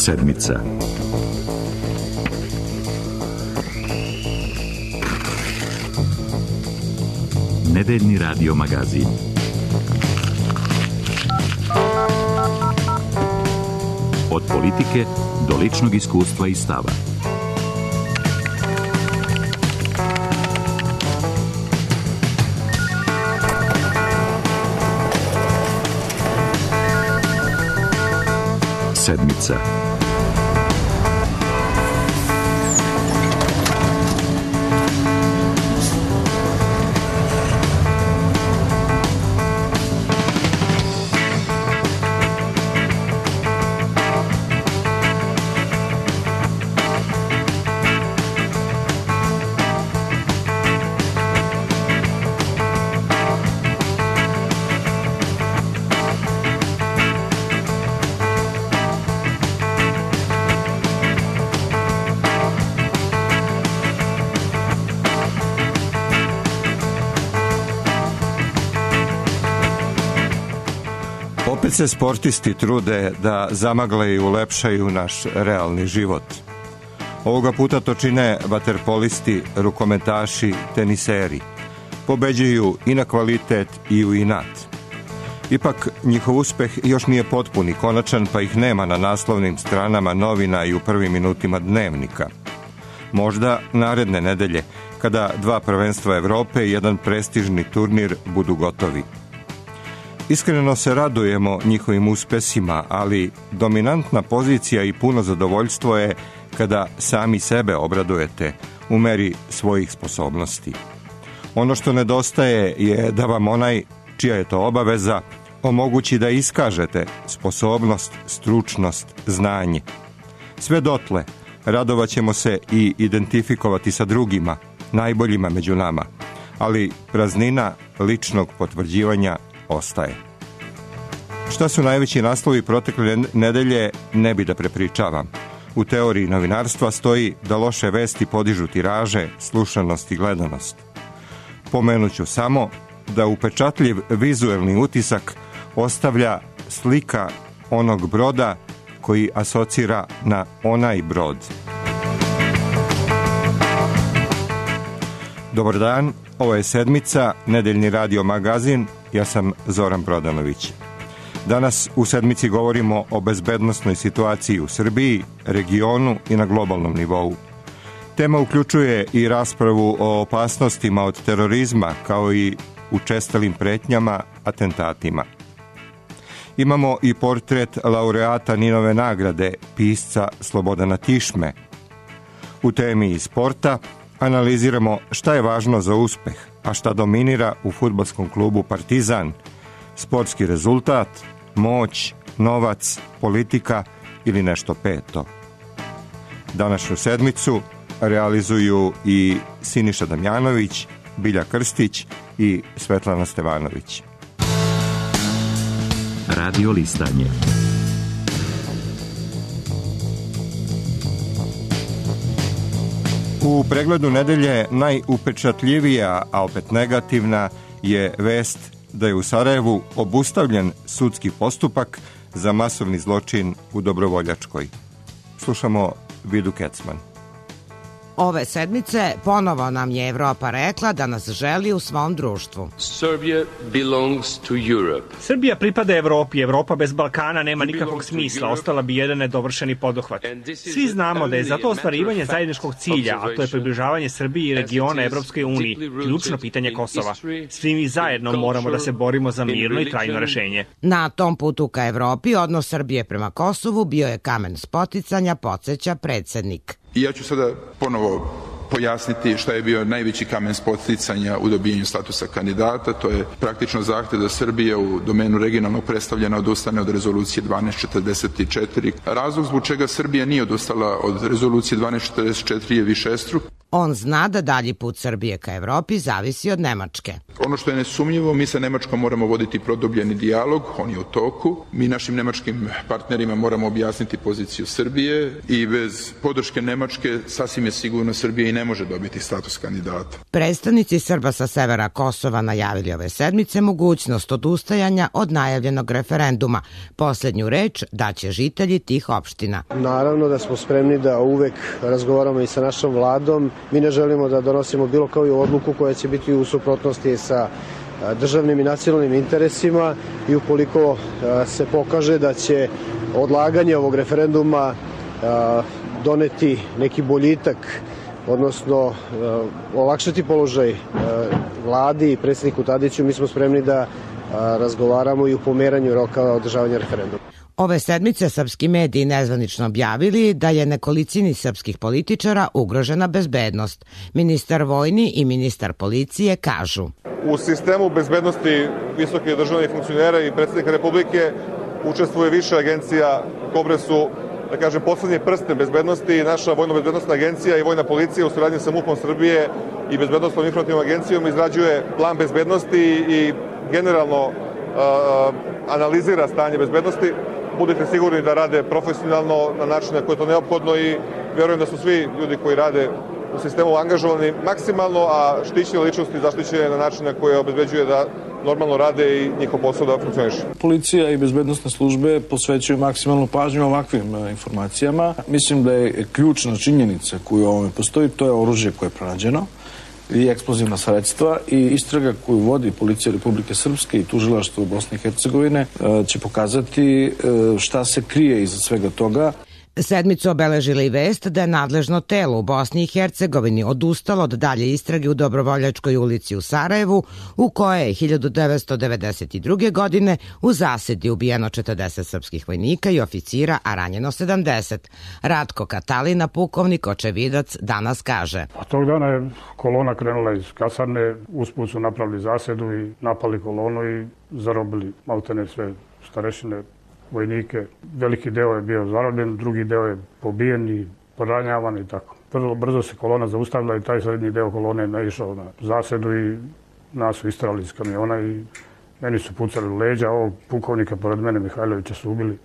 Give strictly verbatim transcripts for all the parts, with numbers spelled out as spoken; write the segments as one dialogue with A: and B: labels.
A: Sedmica. Nedeljni radio magazin. Od politike do ličnog iskustva i stava. Sedmica.
B: Opet se sportisti trude da zamagle i ulepšaju naš realni život. Ovoga puta to čine vaterpolisti, rukometaši, teniseri. Pobeđuju i na kvalitet i u inat. Ipak, njihov uspeh još nije potpun i konačan, pa ih nema na naslovnim stranama novina i u prvim minutima dnevnika. Možda naredne nedelje, kada dva prvenstva Evrope i jedan prestižni turnir budu gotovi. Iskreno se radujemo njihovim uspesima, ali dominantna pozicija i puno zadovoljstvo je kada sami sebe obradujete u meri svojih sposobnosti. Ono što nedostaje je da vam onaj, čija je to obaveza, omogući da iskažete sposobnost, stručnost, znanje. Sve dotle radovat ćemo se i identifikovati sa drugima, najboljima među nama, ali praznina ličnog potvrđivanja ostaje. Šta su najveći naslovi protekle nedelje, ne bi da prepričavam. U teoriji novinarstva stoji da loše vesti podižu tiraže, slušanost i gledanost. Pomenuću samo da upečatljiv vizuelni utisak ostavlja slika onog broda koji asocira na onaj brod. Dobar dan, ovo je Sedmica, nedeljni radio magazin, ja sam Zoran Brodanović. Danas u Sedmici govorimo o bezbednosnoj situaciji u Srbiji, regionu i na globalnom nivou. Tema uključuje i raspravu o opasnostima od terorizma, kao i učestalim pretnjama, atentatima. Imamo i portret laureata Ninove nagrade, pisca Slobodana Tišme. U temi iz sporta analiziramo šta je važno za uspeh, a šta dominira u fudbalskom klubu Partizan, sportski rezultat, moć, novac, politika ili nešto peto. Današnju Sedmicu realizuju i Siniša Damjanović, Bilja Krstić i Svetlana Stevanović.
A: Radio listanje.
B: U pregledu nedelje najupečatljivija, a opet negativna, je vest da je u Sarajevu obustavljen sudski postupak za masovni zločin u Dobrovoljačkoj. Slušamo Vidu Kecman.
C: Ove sedmice ponovo nam je Evropa rekla da nas želi u svom društvu.
D: Serbia belongs to Europe.
E: Srbija pripada Evropi. Evropa bez Balkana nema nikakvog smisla. Ostala bi jedan nedovršeni poduhvat. Svi znamo da je za to ostvarivanje zajedničkog cilja, a to je približavanje Srbiji i regiona Evropskoj uniji, ključno pitanje Kosova. Svi mi zajedno moramo da se borimo za mirno i trajno rešenje.
C: Na tom putu ka Evropi odnos Srbije prema Kosovu bio je kamen spoticanja, podsjeća predsednik.
F: I ja ću sada ponovo pojasniti šta je bio najveći kamen spoticanja u dobijanju statusa kandidata. To je praktično zahtev da Srbija u domenu regionalnog predstavljena odustane od rezolucije dvanaest četrdeset četiri. Razlog zbog čega Srbija nije odustala od rezolucije dvanaest četrdeset četiri je višestruk.
C: On zna da dalji put Srbije ka Evropi zavisi od Nemačke.
F: Ono što je nesumnjivo, mi sa Nemačkom moramo voditi produbljeni dijalog, on je u toku. Mi našim nemačkim partnerima moramo objasniti poziciju Srbije i bez podrške Nemačke sasvim je sigurno Srbija i ne može dobiti status kandidata.
C: Predstavnici Srba sa severa Kosova najavili ove sedmice mogućnost odustajanja od najavljenog referenduma. Poslednju reč daće žitelji tih opština.
G: Naravno da smo spremni da uvek razgovaramo i sa našom vladom. Mi ne želimo da donosimo bilo koju odluku koja će biti u suprotnosti sa državnim i nacionalnim interesima i ukoliko se pokaže da će odlaganje ovog referenduma doneti neki boljitak, odnosno olakšati položaj vladi i predsjedniku Tadiću, mi smo spremni da razgovaramo i u pomeranju roka održavanja referenduma.
C: Ove sedmice srpski mediji nezvanično objavili da je nekolicini srpskih političara ugrožena bezbednost. Ministar vojni i ministar policije kažu:
H: U sistemu bezbednosti visokih državnih funkcionera i predsjednika Republike učestvuje više agencija, kobre su, da kažem, poslednje prste bezbednosti. Naša vojno-bezbednostna agencija i vojna policija u saradnji sa MUP-om Srbije i bezbednostnom informativnom agencijom izrađuje plan bezbednosti i generalno uh, analizira stanje bezbednosti. Budite sigurni da rade profesionalno na način na koji je to neophodno i verujem da su svi ljudi koji rade u sistemu angažovani maksimalno, a štićene ličnosti zaštićene na način na koji obezbeđuje da normalno rade i njihov posao da funkcioniše.
I: Policija i bezbednosne službe posvećuju maksimalnu pažnju ovakvim informacijama. Mislim da je ključna činjenica koju u ovome postoji, to je oružje koje je pronađeno i eksplozivna sredstva i istraga koju vodi Policija Republike Srpske i tužilaštvo Bosne i Hercegovine će pokazati šta se krije iza svega toga.
C: Sedmicu obeležila i vest da je nadležno telo u Bosni i Hercegovini odustalo od dalje istrage u Dobrovoljačkoj ulici u Sarajevu, u kojoj je hiljadu devetsto devedeset druge. godine u zasedi ubijeno četrdeset srpskih vojnika i oficira, a ranjeno sedamdeset. Ratko Katalina, pukovnik, očevidac, danas kaže:
J: A tog dana je kolona krenula iz kasarne, usput su napravili zasedu i napali kolonu i zarobili maltene sve starešine, vojnike. Veliki deo je bio zarobljen, drugi deo je pobijen i poranjavan i tako. Vrlo brzo se kolona zaustavila i taj srednji deo kolone je naišao na zasedu i nas su istrali iz kamiona i meni su pucali u leđa. Ovog pukovnika pored mene, Mihajlovića, su ubili.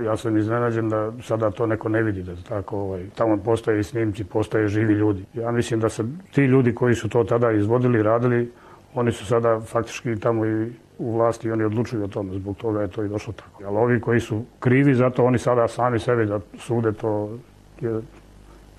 J: Ja sam iznenađen da sada to neko ne vidi, da tako, ovaj, tamo postoje i snimci, postoje živi ljudi. Ja mislim da se ti ljudi koji su to tada izvodili, radili, oni su sada faktički tamo i u vlasti i oni odlučuju o tome, zbog toga je to i došlo tako. Ali ovi koji su krivi za to, oni sada sami sebi da sude, to je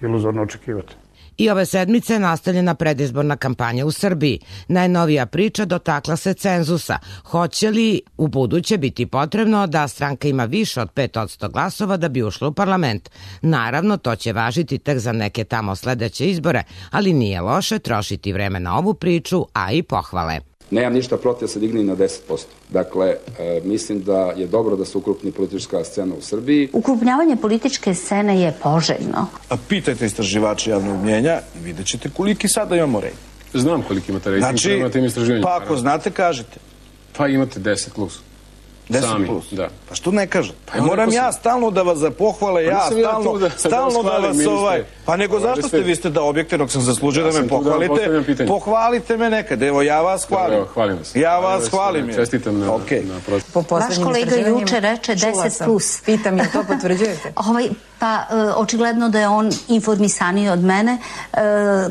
J: iluzorno očekivati.
C: I ove sedmice je nastavljena predizborna kampanja u Srbiji. Najnovija priča dotakla se cenzusa. Hoće li u buduće biti potrebno da stranka ima više od pet posto glasova da bi ušla u parlament? Naravno, to će važiti tek za neke tamo sledeće izbore, ali nije loše trošiti vreme na ovu priču, a i pohvale.
K: Nemam ništa protiv da se digne na deset posto. Dakle, e, mislim da je dobro da se ukrupni politička scena u Srbiji.
L: Ukrupnjavanje političke scene je poželjno.
I: A pitajte istraživače javnog mnjenja i vidjet ćete koliki sada imamo rejting.
M: Znam koliki imate rejting.
I: Znači, pa ako znate, kažete.
M: Pa imate deset plus.
I: deset plus? Da. Pa što ne kažete? Pa ja moram ja stalno da vas zapohvale, ja stalno da, stalno da vas ovaj... Pa nego zašto ste, vi ste da objektivnog sam zaslužio da me pohvalite, pohvalite me nekad, evo ja vas hvalim.
M: Evo, hvalim vas.
I: Ja vas hvalim.
M: Čestitam na,
I: okay.
M: na prošlost.
L: Vaš kolega juče reče deset plus.
N: Pitam je to potvrđujete?
L: Ovaj, pa očigledno da je on informisaniji od mene.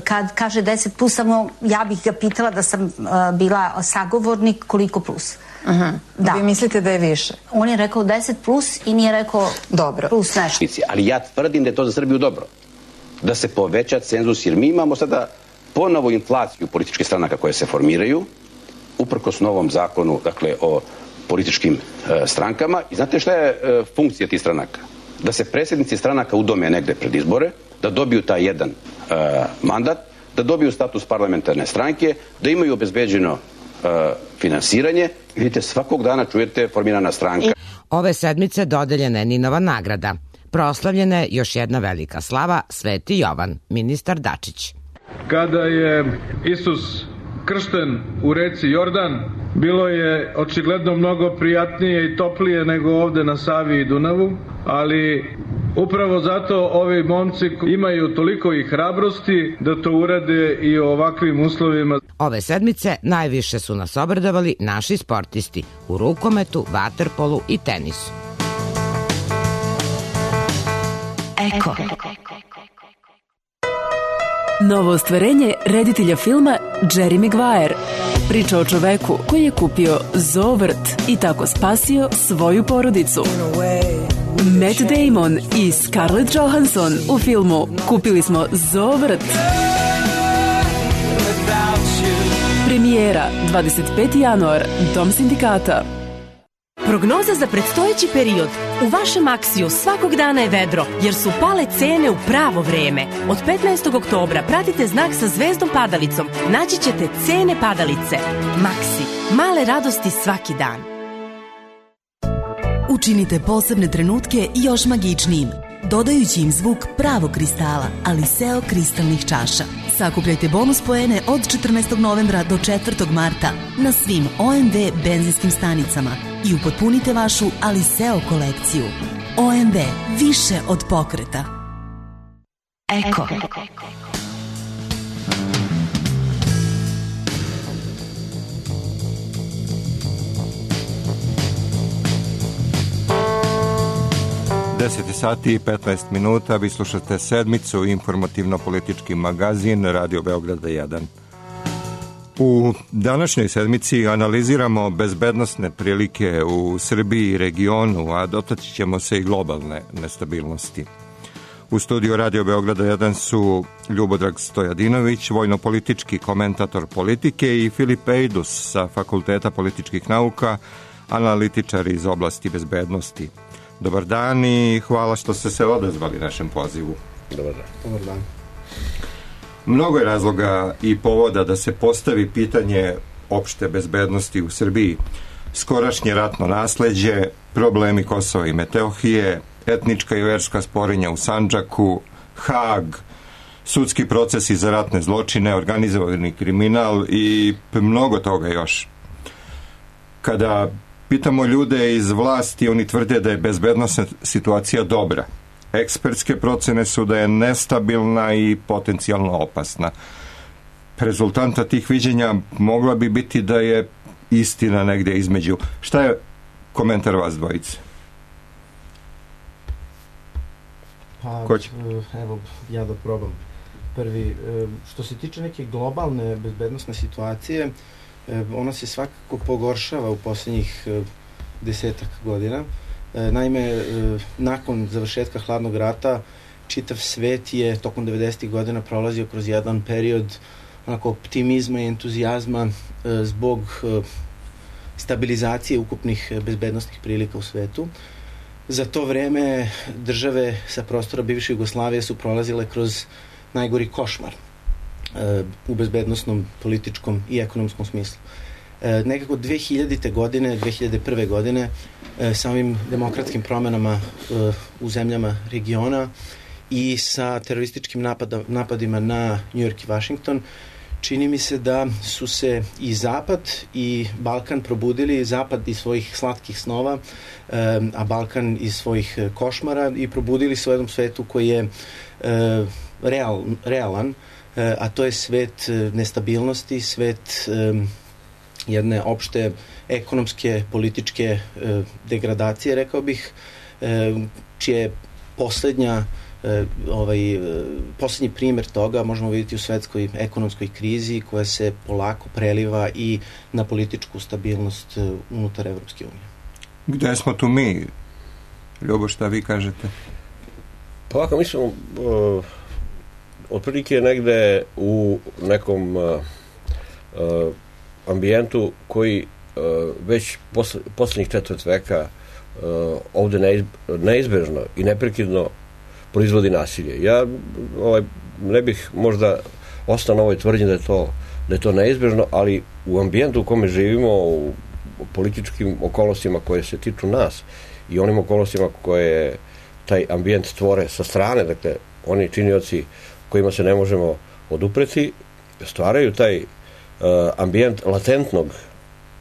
L: Kad kaže deset plus, samo ja bih ga pitala da sam bila sagovornik koliko plus.
N: Aha. Da. Vi mislite da je više?
L: On je rekao deset plus i nije rekao dobro. Plus nešto.
O: Ali ja tvrdim da je to za Srbiju dobro. Da se poveća cenzus, jer mi imamo sada ponovo inflaciju političkih stranaka koje se formiraju, uprkos novom zakonu, dakle, o političkim e, strankama. I znate šta je e, funkcija tih stranaka? Da se predsjednici stranaka udome negde pred izbore, da dobiju taj jedan e, mandat, da dobiju status parlamentarne stranke, da imaju obezbeđeno e, finansiranje. Vidite, svakog dana čujete formirana stranka.
C: Ove sedmice dodeljena je Ninova nagrada. Proslavljena je još jedna velika slava, Sveti Jovan, ministar Dačić.
P: Kada je Isus kršten u reci Jordan, bilo je očigledno mnogo prijatnije i toplije nego ovde na Savi i Dunavu, ali Upravo zato ovi momci imaju toliko i hrabrosti da to urade i u ovakvim uslovima.
C: Ove sedmice najviše su nas obradovali naši sportisti u rukometu, vaterpolu i tenisu.
Q: Eko. Novo ostvarenje reditelja filma Jerry Maguire. Priča o čoveku koji je kupio zoovrt i tako spasio svoju porodicu. Matt Damon i Scarlett Johansson u filmu Kupili smo zoovrt. Premijera dvadeset peti januar, Dom sindikata.
R: Prognoza za predstojeći period. U vašem Aksiju svakog dana je vedro, jer su pale cene u pravo vreme. Od petnaestog oktobra pratite znak sa zvezdom padalicom. Naći ćete cene padalice. Maksi. Male radosti svaki dan.
Q: Učinite posebne trenutke još magičnijim, dodajući im zvuk pravog kristala, Aliseo kristalnih čaša. Sakupljajte bonus poene od četrnaestog novembra do četvrtog marta na svim O M V benzinskim stanicama i upotpunite vašu Aliseo kolekciju. O M V, više od pokreta. Eko.
B: deset sati i petnaest minuta, vi slušate sedmicu, informativno-politički magazin Radio Beograda jedan. U današnjoj sedmici analiziramo bezbednosne prilike u Srbiji i regionu, a dotaći ćemo se i globalne nestabilnosti. U studiju Radio Beograda jedan su Ljubodrag Stojadinović, vojno-politički komentator politike, i Filip Ejdus sa Fakulteta političkih nauka, analitičar iz oblasti bezbednosti. Dobar dan i hvala što ste se odazvali našem pozivu.
S: Dobar dan. Dobar dan.
B: Mnogo je razloga i povoda da se postavi pitanje opšte bezbednosti u Srbiji. Skorašnje ratno nasleđe, problemi Kosova i Metohije, etnička i verska sporenja u Sandžaku, Hag, sudski procesi za ratne zločine, organizovani kriminal i mnogo toga još. Kada pitamo ljude iz vlasti, oni tvrde da je bezbednosna situacija dobra. Ekspertske procene su da je nestabilna i potencijalno opasna. Rezultanta tih viđenja mogla bi biti da je istina negdje između. Šta je komentar vas dvojice?
S: Pa, evo, ja da probam. Prvi, što se tiče neke globalne bezbednosne situacije, ona se svakako pogoršava u posljednjih desetak godina. Naime, nakon završetka hladnog rata, čitav svet je tokom devedesetih godina prolazio kroz jedan period onako optimizma i entuzijazma zbog stabilizacije ukupnih bezbednosnih prilika u svetu. Za to vreme države sa prostora bivše Jugoslavije su prolazile kroz najgori košmar u bezbednosnom, političkom i ekonomskom smislu. E, nekako dve hiljadite godine, dve hiljade prve godine, e, sa ovim demokratskim promenama e, u zemljama regiona i sa terorističkim napada, napadima na New York i Washington, čini mi se da su se i Zapad i Balkan probudili, Zapad iz svojih slatkih snova, e, a Balkan iz svojih košmara, i probudili se u jednom svetu koji je e, real, realan, a to je svet nestabilnosti, svet jedne opšte ekonomske, političke degradacije, rekao bih, čije poslednja ovaj, poslednji primjer toga možemo vidjeti u svetskoj ekonomskoj krizi koja se polako preliva i na političku stabilnost unutar Evropske unije.
B: Gde smo tu mi? Ljubo, šta vi kažete?
S: Pa ovako, mi smo uh, otprilike negde u nekom uh, uh, ambijentu koji uh, već posle, poslednjih četvrt veka uh, ovde neizb, neizbežno i neprekidno proizvodi nasilje. Ja ovaj, ne bih možda ostao na ovoj tvrdnji da je to, da je to neizbežno, ali u ambijentu u kome živimo, u političkim okolnostima koje se tiču nas i onim okolnostima koje taj ambijent stvore sa strane, dakle, oni činioci kojima se ne možemo odupreti, stvaraju taj uh, ambijent latentnog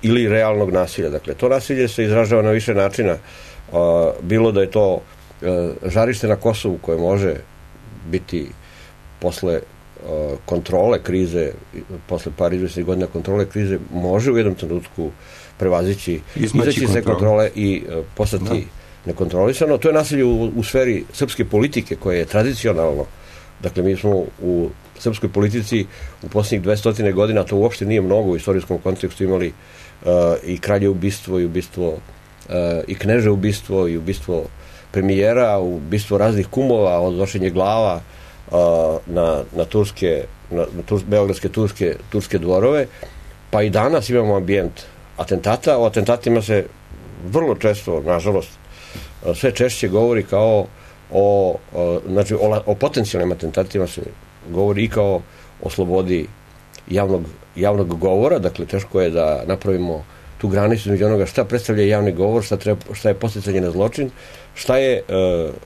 S: ili realnog nasilja. Dakle, to nasilje se izražava na više načina, uh, bilo da je to
T: žarište na Kosovu koje može biti posle kontrole krize, posle par izvesnih godina kontrole krize, može u jednom trenutku prevazići, izaći se kontrole i postati nekontrolisano. To je nasilje u, u sferi srpske politike koje je tradicionalno. Dakle, mi smo u srpskoj politici u posljednjih dvesta godina, to uopšte nije mnogo u istorijskom kontekstu, imali uh, i kralje ubistvo i ubistvo uh, i kneže ubistvo i ubistvo premijera, ubistvo raznih kumova, odnošenje glava uh, na, na turske na, na turs, beogradske turske, turske dvorove, pa i danas imamo ambijent atentata. O atentatima se vrlo često, nažalost, sve češće govori kao o, o, znači, o, o potencijalnim atentatima se govori i kao o slobodi javnog, javnog govora, dakle teško je da napravimo tu granicu između onoga šta predstavlja javni govor, šta, treba, šta je podsticanje na zločin, šta je e,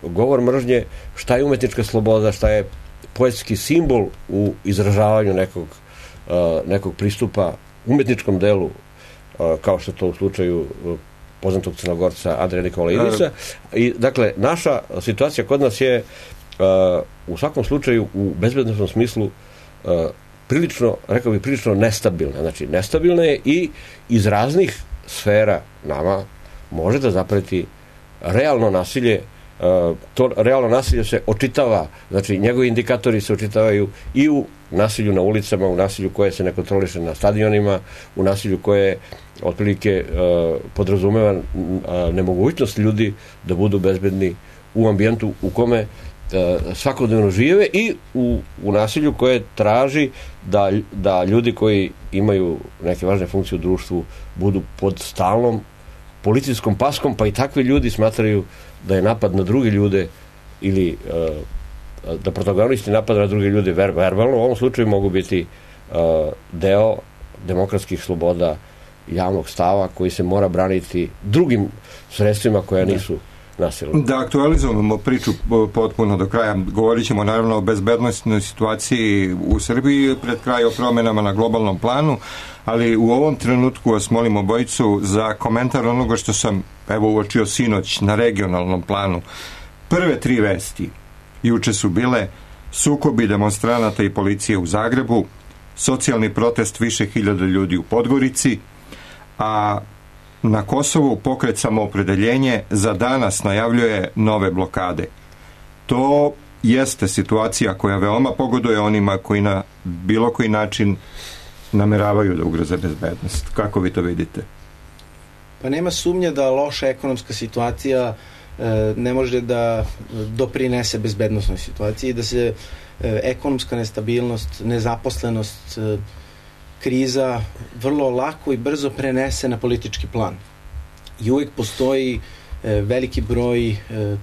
T: govor mržnje, šta je umetnička sloboda, šta je poetski simbol u izražavanju nekog, e, nekog pristupa umetničkom delu, e, kao što to u slučaju poznatog Crnogorca Andreja Nikolajidića. I, dakle, naša situacija kod nas je uh, u svakom slučaju u bezbednosnom smislu uh, prilično, rekao bih, prilično nestabilna. Znači, nestabilna je i iz raznih sfera nama može da zapreti realno nasilje. Uh, to realno nasilje se očitava, znači njegovi indikatori se očitavaju i u nasilju na ulicama, u nasilju koje se ne kontroliše na stadionima, u nasilju koje otprilike uh, podrazumeva uh, nemogućnost ljudi da budu bezbedni u ambijentu u kome uh, svakodnevno žive i u, u nasilju koje traži da, da ljudi koji imaju neke važne funkcije u društvu budu pod stalnom policijskom paskom, pa i takvi ljudi smatraju da je napad na druge ljude ili uh, da protagonisti napada na druge ljude ver, verbalno, u ovom slučaju mogu biti uh, deo demokratskih sloboda javnog stava koji se mora braniti drugim sredstvima koja nisu nasilna.
B: Da aktualizujemo priču potpuno do kraja. Govorit ćemo naravno o bezbednostnoj situaciji u Srbiji pred kraj, o promenama na globalnom planu, ali u ovom trenutku vas molim obojicu za komentar onoga što sam evo uočio sinoć na regionalnom planu. Prve tri vesti juče su bile sukobi demonstranata i policije u Zagrebu, socijalni protest više hiljada ljudi u Podgorici, a na Kosovu pokret Samoopredeljenje za danas najavljuje nove blokade. To jeste situacija koja veoma pogoduje onima koji na bilo koji način nameravaju da ugroze bezbednost. Kako vi to vidite?
S: Pa nema sumnje da loša ekonomska situacija e, ne može da doprinese bezbednosnoj situaciji i da se e, ekonomska nestabilnost, nezaposlenost, e, kriza vrlo lako i brzo prenese na politički plan. I uvijek postoji e, veliki broj e,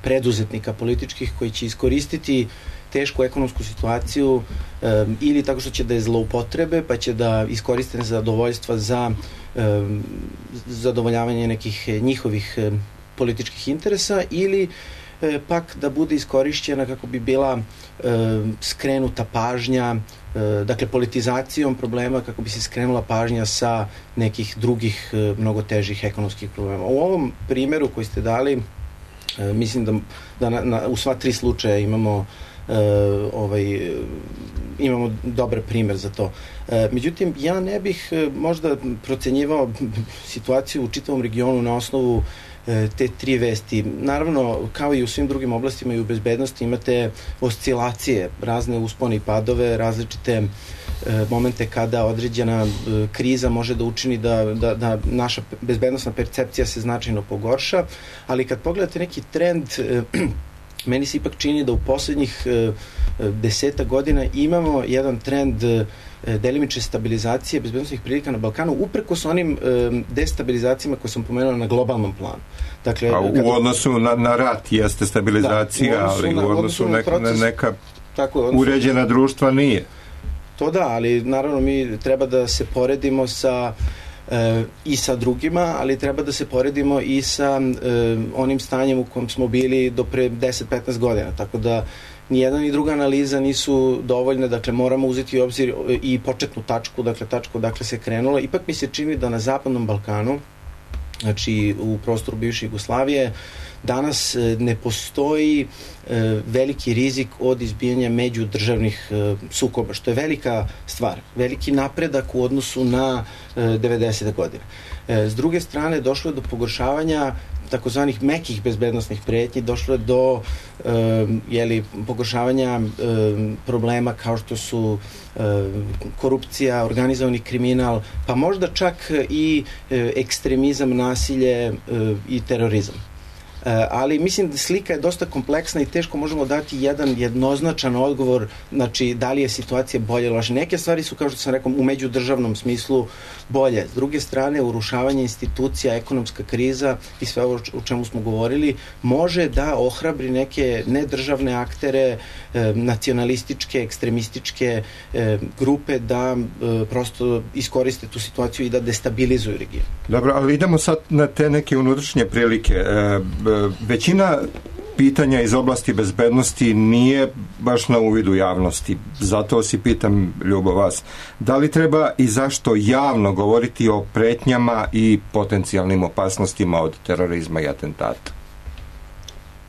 S: preduzetnika političkih koji će iskoristiti tešku ekonomsku situaciju e, ili tako što će da je zloupotrebe, pa će da iskoriste nezadovoljstva za e, zadovoljavanje nekih njihovih e, političkih interesa ili e, pak da bude iskorišćena kako bi bila e, skrenuta pažnja, e, dakle politizacijom problema kako bi se skrenula pažnja sa nekih drugih e, mnogo težih ekonomskih problema. U ovom primjeru koji ste dali, e, mislim da, da na, na, u sva tri slučaja imamo Uh, ovaj, imamo dobar primjer za to. Uh, međutim, ja ne bih uh, možda procenjivao situaciju u čitavom regionu na osnovu uh, te tri vesti. Naravno, kao i u svim drugim oblastima i u bezbednosti imate oscilacije, razne uspone i padove, različite uh, momente kada određena uh, kriza može da učini da, da, da naša bezbednostna percepcija se značajno pogorša, ali kad pogledate neki trend uh, meni se ipak čini da u posljednjih e, deseta godina imamo jedan trend e, delimične stabilizacije bezbednosnih prilika na Balkanu, uprkos onim e, destabilizacijama koje sam pomenuo na globalnom planu. Dakle,
B: a u kada, odnosu na, na rat jeste stabilizacija, da, ali u odnosu na, neka, proces, neka tako, odnosu, uređena društva nije.
S: To da, ali naravno mi treba da se poredimo sa E, i sa drugima, ali treba da se poredimo i sa e, onim stanjem u kom smo bili do pre deset do petnaest godina, tako da ni jedna ni druga analiza nisu dovoljne, dakle moramo uzeti u obzir i početnu tačku, dakle tačku odakle se krenulo. Ipak mi se čini da na Zapadnom Balkanu znači u prostoru bivše Jugoslavije, danas ne postoji veliki rizik od izbijanja međudržavnih sukoba, što je velika stvar, veliki napredak u odnosu na devedesete godine. S druge strane, došlo je do pogoršavanja takozvanih mekih bezbednostnih pretnji, došlo je do e, jeli, pogoršavanja e, problema kao što su e, korupcija, organizovani kriminal, pa možda čak i e, ekstremizam, nasilje e, i terorizam. Ali mislim da slika je dosta kompleksna i teško možemo dati jedan jednoznačan odgovor, znači da li je situacija bolje ili loše. Neke stvari su, kao što sam rekao, u međudržavnom smislu bolje. S druge strane, urušavanje institucija, ekonomska kriza i sve ovo o čemu smo govorili može da ohrabri neke nedržavne aktere, nacionalističke, ekstremističke grupe da prosto iskoriste tu situaciju i da destabilizuju region.
B: Dobro, ali idemo sad na te neke unutrašnje prilike. Većina pitanja iz oblasti bezbednosti nije baš na uvidu javnosti. Zato si pitam, Ljubo, vas, da li treba i zašto javno govoriti o pretnjama i potencijalnim opasnostima od terorizma i atentata?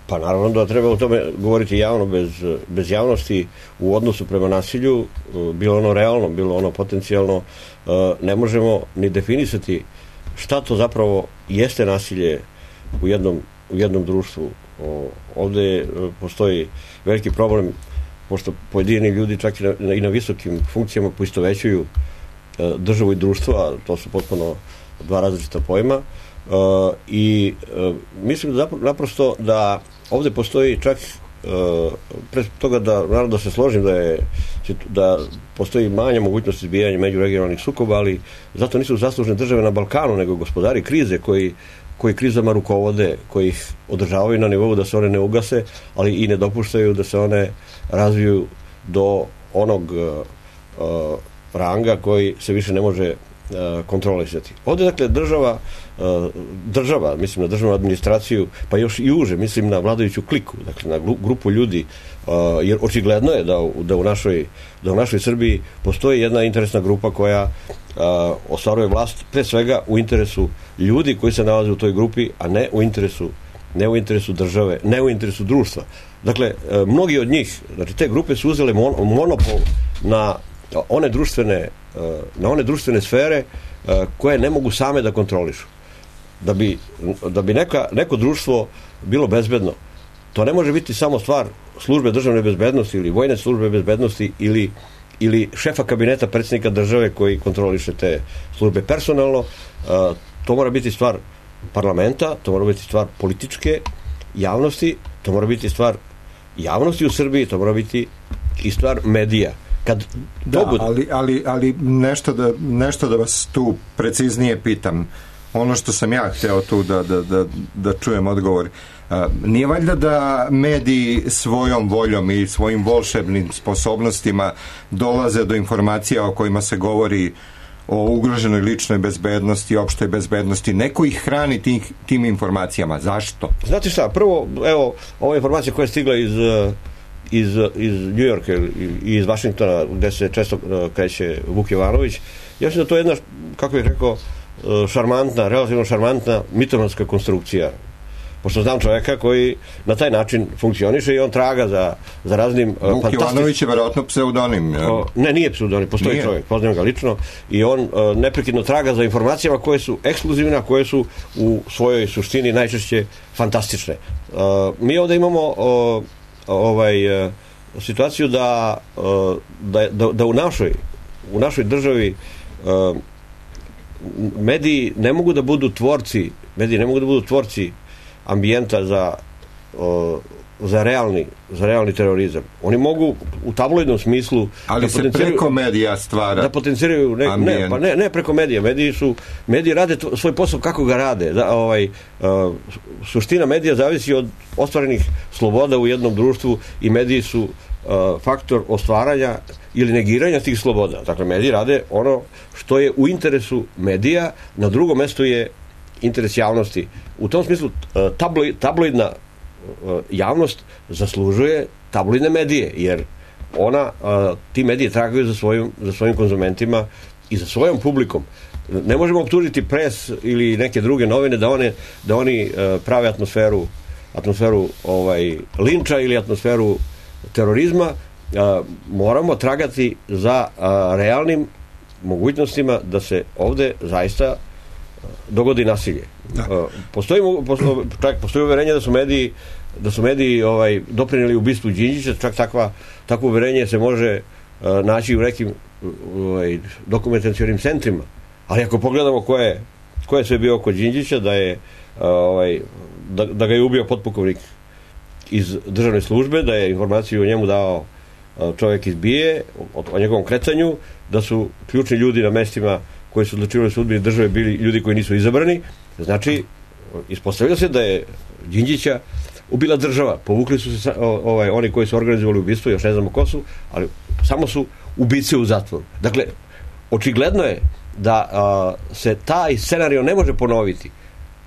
T: Pa naravno da treba o tome govoriti javno, bez, bez javnosti u odnosu prema nasilju, bilo ono realno, bilo ono potencijalno, ne možemo ni definisati šta to zapravo jeste nasilje u jednom, u jednom društvu. Ovde postoji veliki problem, pošto pojedini ljudi čak i na, i na visokim funkcijama poistovećuju državu i društvo, a to su potpuno dva različita pojma. I mislim da naprosto da ovde postoji čak pre toga da, naravno da se složim da je da postoji manja mogućnost izbijanja međuregionalnih sukoba, ali zato nisu zaslužne države na Balkanu, nego gospodari krize koji koji krizama rukovode, koji ih održavaju na nivou da se one ne ugase, ali i ne dopuštaju da se one razviju do onog uh, ranga koji se više ne može uh, kontrolisati. Ovdje, dakle, država, uh, država, mislim na državnu administraciju, pa još i uže, mislim na vladajuću kliku, dakle, na grupu ljudi, uh, jer očigledno je da, da, u našoj, da u našoj Srbiji postoji jedna interesna grupa koja uh, ostvaruje vlast pre svega u interesu ljudi koji se nalaze u toj grupi, a ne u interesu, ne u interesu države, ne u interesu društva. Dakle, mnogi od njih, znači te grupe su uzele monopol na one društvene, na one društvene sfere koje ne mogu same da kontrolišu. Da bi, da bi neka, neko društvo bilo bezbedno, to ne može biti samo stvar službe državne bezbednosti ili vojne službe bezbednosti ili ili šefa kabineta predsjednika države koji kontroliše te službe personalno. To mora biti stvar parlamenta, to mora biti stvar političke javnosti, to mora biti stvar javnosti u Srbiji, to mora biti i stvar medija. Kad
B: da, bude... ali, ali, ali nešto, da, nešto da vas tu preciznije pitam. Ono što sam ja hteo tu da, da, da, da čujem odgovor. Nije valjda da mediji svojom voljom i svojim volšebnim sposobnostima dolaze do informacija o kojima se govori o ugroženoj ličnoj bezbednosti, opštoj bezbednosti, neko ih hrani tih, tim informacijama. Zašto?
T: Znate šta, prvo, evo, ova informacija koja je stigla iz, iz, iz New Yorka i iz Vašingtona, gde se često kreće Vuk Jovanović, ja mislim da to je jedna, kako bih rekao, šarmantna, relativno šarmantna mitomanska konstrukcija. Pošto znam čoveka koji na taj način funkcioniše i on traga za, za raznim
B: Vuk fantastic... Jovanović je verovatno pseudonim. Ja.
T: O, ne, nije pseudonim, postoji nije. Čovjek, poznajem ga lično i on o, neprekidno traga za informacijama koje su ekskluzivne, a koje su u svojoj suštini najčešće fantastične. O, mi ovdje imamo o, ovaj, o, situaciju da, o, da, da, da u našoj u našoj državi o, mediji ne mogu da budu tvorci mediji ne mogu da budu tvorci ambijenta za, o, za, realni, za realni terorizam. Oni mogu u tabloidnom smislu
B: ali da se preko medija stvara
T: da potenciraju ne, ne, pa ne, ne preko medija. Mediji, su, mediji rade to, svoj posao kako ga rade. Da, ovaj, uh, suština medija zavisi od ostvarenih sloboda u jednom društvu i mediji su uh, faktor ostvaranja ili negiranja tih sloboda. Dakle, mediji rade ono što je u interesu medija, na drugom mjestu je interes javnosti. U tom smislu tabloid, tabloidna javnost zaslužuje tabloidne medije, jer ona, ti medije tragaju za svojim, za svojim konzumentima i za svojom publikom. ne možemo optužiti Pres ili neke druge novine da, one, da oni uh, prave atmosferu atmosferu ovaj, linča ili atmosferu terorizma. Uh, moramo tragati za uh, realnim mogućnostima da se ovde zaista dogodi nasilje. Da. Postoji, postoji, čak postoji uverenje da su mediji da su mediji ovaj, doprinijeli ubistvu Đinđića, čak takva, takvo uverenje se može uh, naći u nekim ovaj, dokumentacionim centrima. Ali ako pogledamo ko je, ko je sve bio oko Đinđića, da je uh, ovaj, da, da ga je ubio potpukovnik iz državne službe, da je informaciju o njemu dao uh, čovjek iz B I E, o, o njegovom krecanju, da su ključni ljudi na mestima koji su odlučivali sudbini države bili ljudi koji nisu izabrani. Znači, ispostavlja se da je Đinđića ubila država. Povukli su se ovaj, oni koji su organizovali ubistvo, još ne znamo ko su, ali samo su ubice u zatvoru. Dakle, očigledno je da a, se taj scenario ne može ponoviti,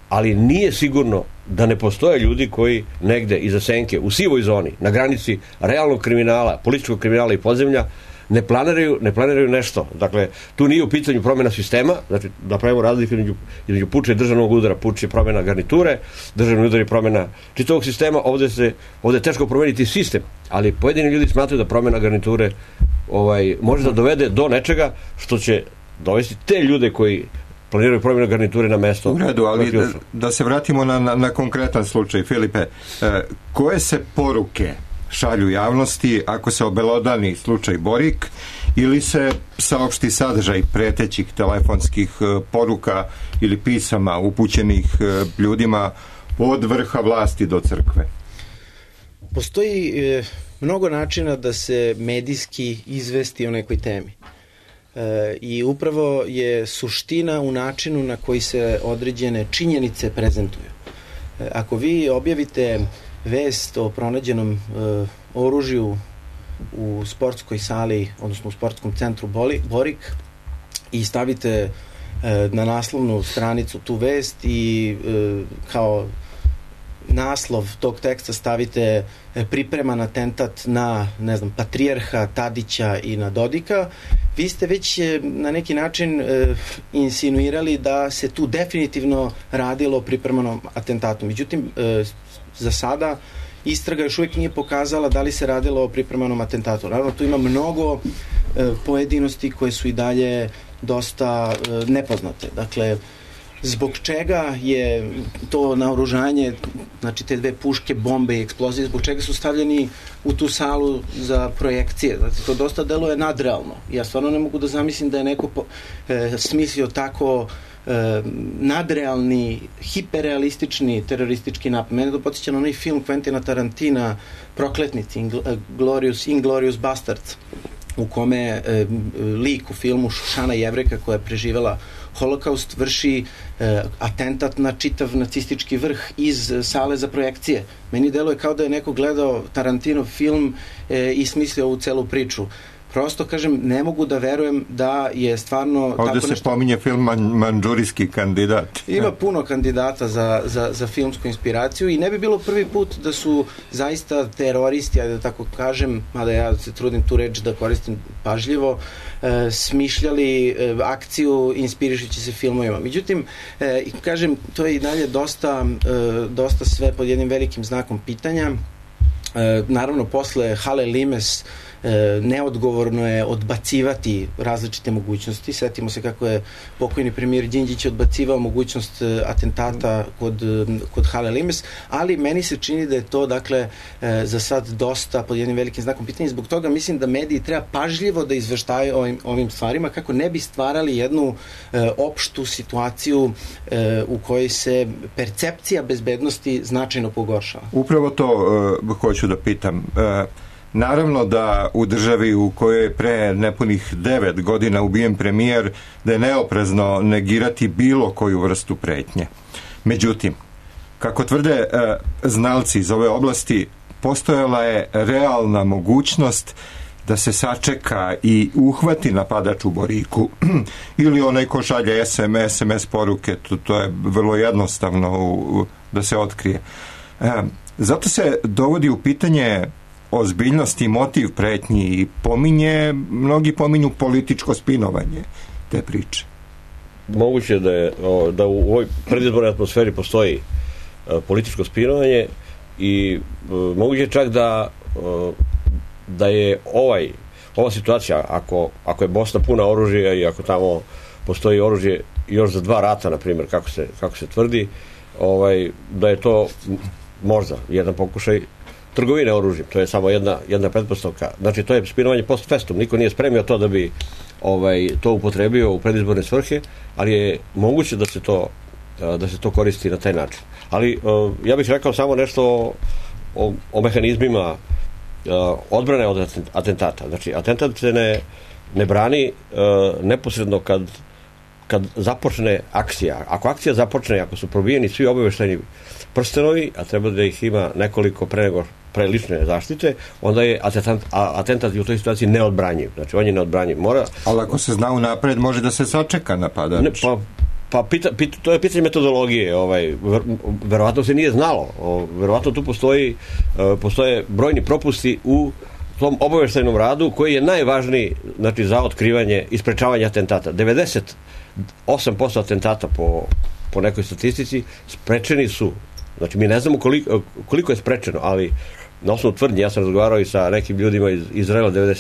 T: ali nije sigurno da ne postoje ljudi koji negde iza senke, u sivoj zoni, na granici realnog kriminala, političkog kriminala i podzemlja, ne planiraju, ne planiraju nešto. Dakle, tu nije u pitanju promjena sistema, znači da pravimo razliku između, između puče i državnog udara. Puč je promjena garniture, državni udar je promjena čitavog sistema. Ovde, se, ovde je teško promeniti sistem, ali pojedini ljudi smatraju da promjena garniture ovaj, može da dovede do nečega što će dovesti te ljude koji planiraju promjenu garniture na mesto.
B: U redu, ali da, da se vratimo na, na, na konkretan slučaj. Filipe, e, koje se poruke šalju javnosti ako se obelodani slučaj Borik ili se saopšti sadržaj pretećih telefonskih poruka ili pisama upućenih ljudima od vrha vlasti do crkve?
S: Postoji e, mnogo načina da se medijski izvesti o nekoj temi. E, I upravo je suština u načinu na koji se određene činjenice prezentuju. E, ako vi objavite vest o pronađenom e, oružju u sportskoj sali, odnosno u sportskom centru Boli, Borik i stavite e, na naslovnu stranicu tu vest i e, kao naslov tog teksta stavite e, pripreman atentat na, ne znam, patrijarha Tadića i na Dodika, vi ste već e, na neki način e, insinuirali da se tu definitivno radilo o pripremanom atentatu. Međutim, e, za sada istraga još uvijek nije pokazala da li se radilo o pripremanom atentatu. Naravno, tu ima mnogo e, pojedinosti koje su i dalje dosta e, nepoznate. Dakle, zbog čega je to naoružanje, znači te dve puške, bombe i eksplozije, zbog čega su stavljeni u tu salu za projekcije? Znači, to dosta deluje nadrealno. Ja stvarno ne mogu da zamislim da je neko po, e, smislio tako e, nadrealni, hiperrealistični teroristički napad. Mene to podsjeća na onaj film Quentina Tarantina, Prokletnici, Inglorious, Inglorious Bastards, u kome e, lik u filmu Šušana Jevrejka koja je preživela Holokaust vrši e, atentat na čitav nacistički vrh iz sale za projekcije. Meni deluje kao da je neko gledao Tarantinov film e, i smislio ovu celu priču. Prosto, kažem, ne mogu da verujem da je stvarno...
B: Ovdje
S: tako
B: se
S: nešto...
B: pominje film man, Mandžurijski kandidat.
S: Ima puno kandidata za, za, za filmsku inspiraciju i ne bi bilo prvi put da su zaista teroristi, ajde da tako kažem, mada ja se trudim tu reč da koristim pažljivo, e, smišljali e, akciju inspirišući se filmovima. Međutim, e, kažem, to je i dalje dosta, e, dosta sve pod jednim velikim znakom pitanja. E, naravno, posle Hale Limes E, neodgovorno je odbacivati različite mogućnosti. Setimo se kako je pokojni premijer Đinđić odbacivao mogućnost e, atentata kod, e, kod Hale Limes, ali meni se čini da je to, dakle, e, za sad dosta pod jednim velikim znakom pitanja. Zbog toga mislim da mediji treba pažljivo da izveštaju ovim, ovim stvarima kako ne bi stvarali jednu e, opštu situaciju e, u kojoj se percepcija bezbednosti značajno pogoršava.
B: Upravo to uh, hoću da pitam. Uh, Naravno da u državi u kojoj je pre nepunih devet godina ubijen premijer, da je neoprezno negirati bilo koju vrstu pretnje. Međutim, kako tvrde e, znalci iz ove oblasti, postojala je realna mogućnost da se sačeka i uhvati napadač u Boriku ili onaj ko šalje S M S, S M S poruke, to, to je vrlo jednostavno u, u, da se otkrije. E, zato se dovodi u pitanje ozbiljnost i motiv pretnji i pominje, mnogi pominju političko spinovanje te priče.
T: moguće da, je, o, da u ovoj predizbornoj atmosferi postoji o, političko spinovanje i o, moguće čak da o, da je ovaj ova situacija, ako, ako je Bosna puna oružja i ako tamo postoji oružje još za dva rata, na primjer, kako se, kako se tvrdi, ovaj, da je to možda jedan pokušaj trgovine oružjem. To je samo jedna, jedna pretpostavka. Znači, to je spinovanje post festum. Niko nije spremio to da bi ovaj, to upotrebio u predizborne svrhe, ali je moguće da se to, da se to koristi na taj način. Ali ja bih rekao samo nešto o, o, o mehanizmima odbrane od atentata. Znači, atentat se ne, ne brani neposredno kad kad započne akcija. Ako akcija započne, ako su probijeni svi obaveštajni prstenovi, a treba da ih ima nekoliko pre nego pre lične zaštite, onda je atentat, atentat u toj situaciji neodbranjiv. Znači, on je neodbranjiv. Mora...
B: Ali ako se zna unapred, može da se sačeka napadač.
T: Ne, pa pa pita, pita, to je pitanje metodologije. Ovaj, ver, verovatno se nije znalo. O, verovatno tu postoji, uh, postoje brojni propusti u tom obaveštajnom radu koji je najvažniji, znači, za otkrivanje i sprečavanje atentata. devedeset osam posto atentata po, po nekoj statistici sprečeni su. Znači, mi ne znamo koliko, koliko je sprečeno, ali na osnovu tvrdnje, ja sam razgovarao i sa nekim ljudima iz Izraela dve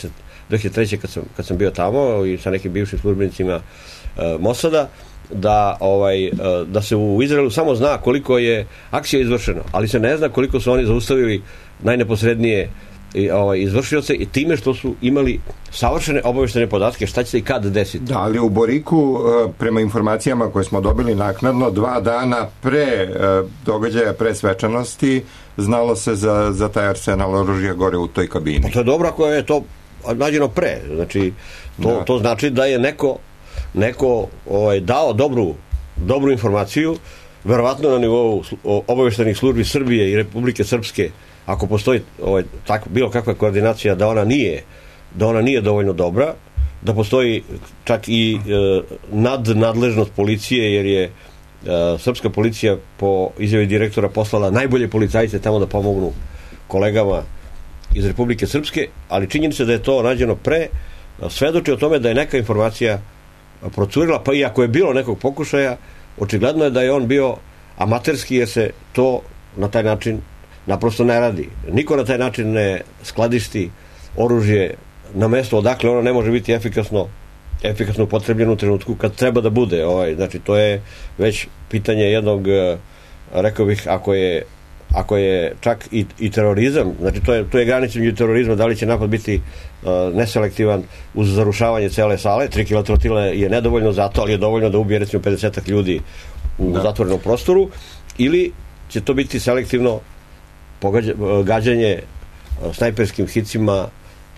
T: hiljade treće kad sam, kad sam bio tamo i sa nekim bivšim službenicima uh, Mosada, da, ovaj, uh, da se u Izraelu samo zna koliko je akcija izvršeno, ali se ne zna koliko su oni zaustavili najneposrednije i, ovaj, izvršioce i time što su imali savršene obaveštene podatke šta će se i kad desiti.
B: Da, ali u Boriku, prema informacijama koje smo dobili naknadno, dva dana pre događaja, pre svečanosti, znalo se za, za taj arsenal oružja gore u toj kabini.
T: Pa to je dobro ako je to nađeno pre. Znači, to, da. to znači da je neko, neko ovaj, dao dobru, dobru informaciju, verovatno na nivou obaveštenih službi Srbije i Republike Srpske, ako postoji ovaj, tak, bilo kakva koordinacija da ona nije da ona nije dovoljno dobra, da postoji čak i e, nadnadležnost policije, jer je e, srpska policija po izjavi direktora poslala najbolje policajce tamo da pomognu kolegama iz Republike Srpske, ali činjenica da je to rađeno pre svedoči o tome da je neka informacija procurila, pa i ako je bilo nekog pokušaja, očigledno je da je on bio amaterski, jer se to na taj način naprosto ne radi. Niko na taj način ne skladišti oružje na mesto odakle ono ne može biti efikasno efikasno upotrebljeno u trenutku kad treba da bude. Ovaj, znači, to je već pitanje jednog, rekao bih, ako je, ako je čak i, i terorizam, znači to je, to je granica među terorizma, da li će napad biti uh, neselektivan uz zarušavanje cele sale. Tri kila trotila je nedovoljno za to, ali je dovoljno da ubije recimo pedeset ljudi u da. zatvorenom prostoru, ili će to biti selektivno pogađa, gađanje uh, snajperskim hicima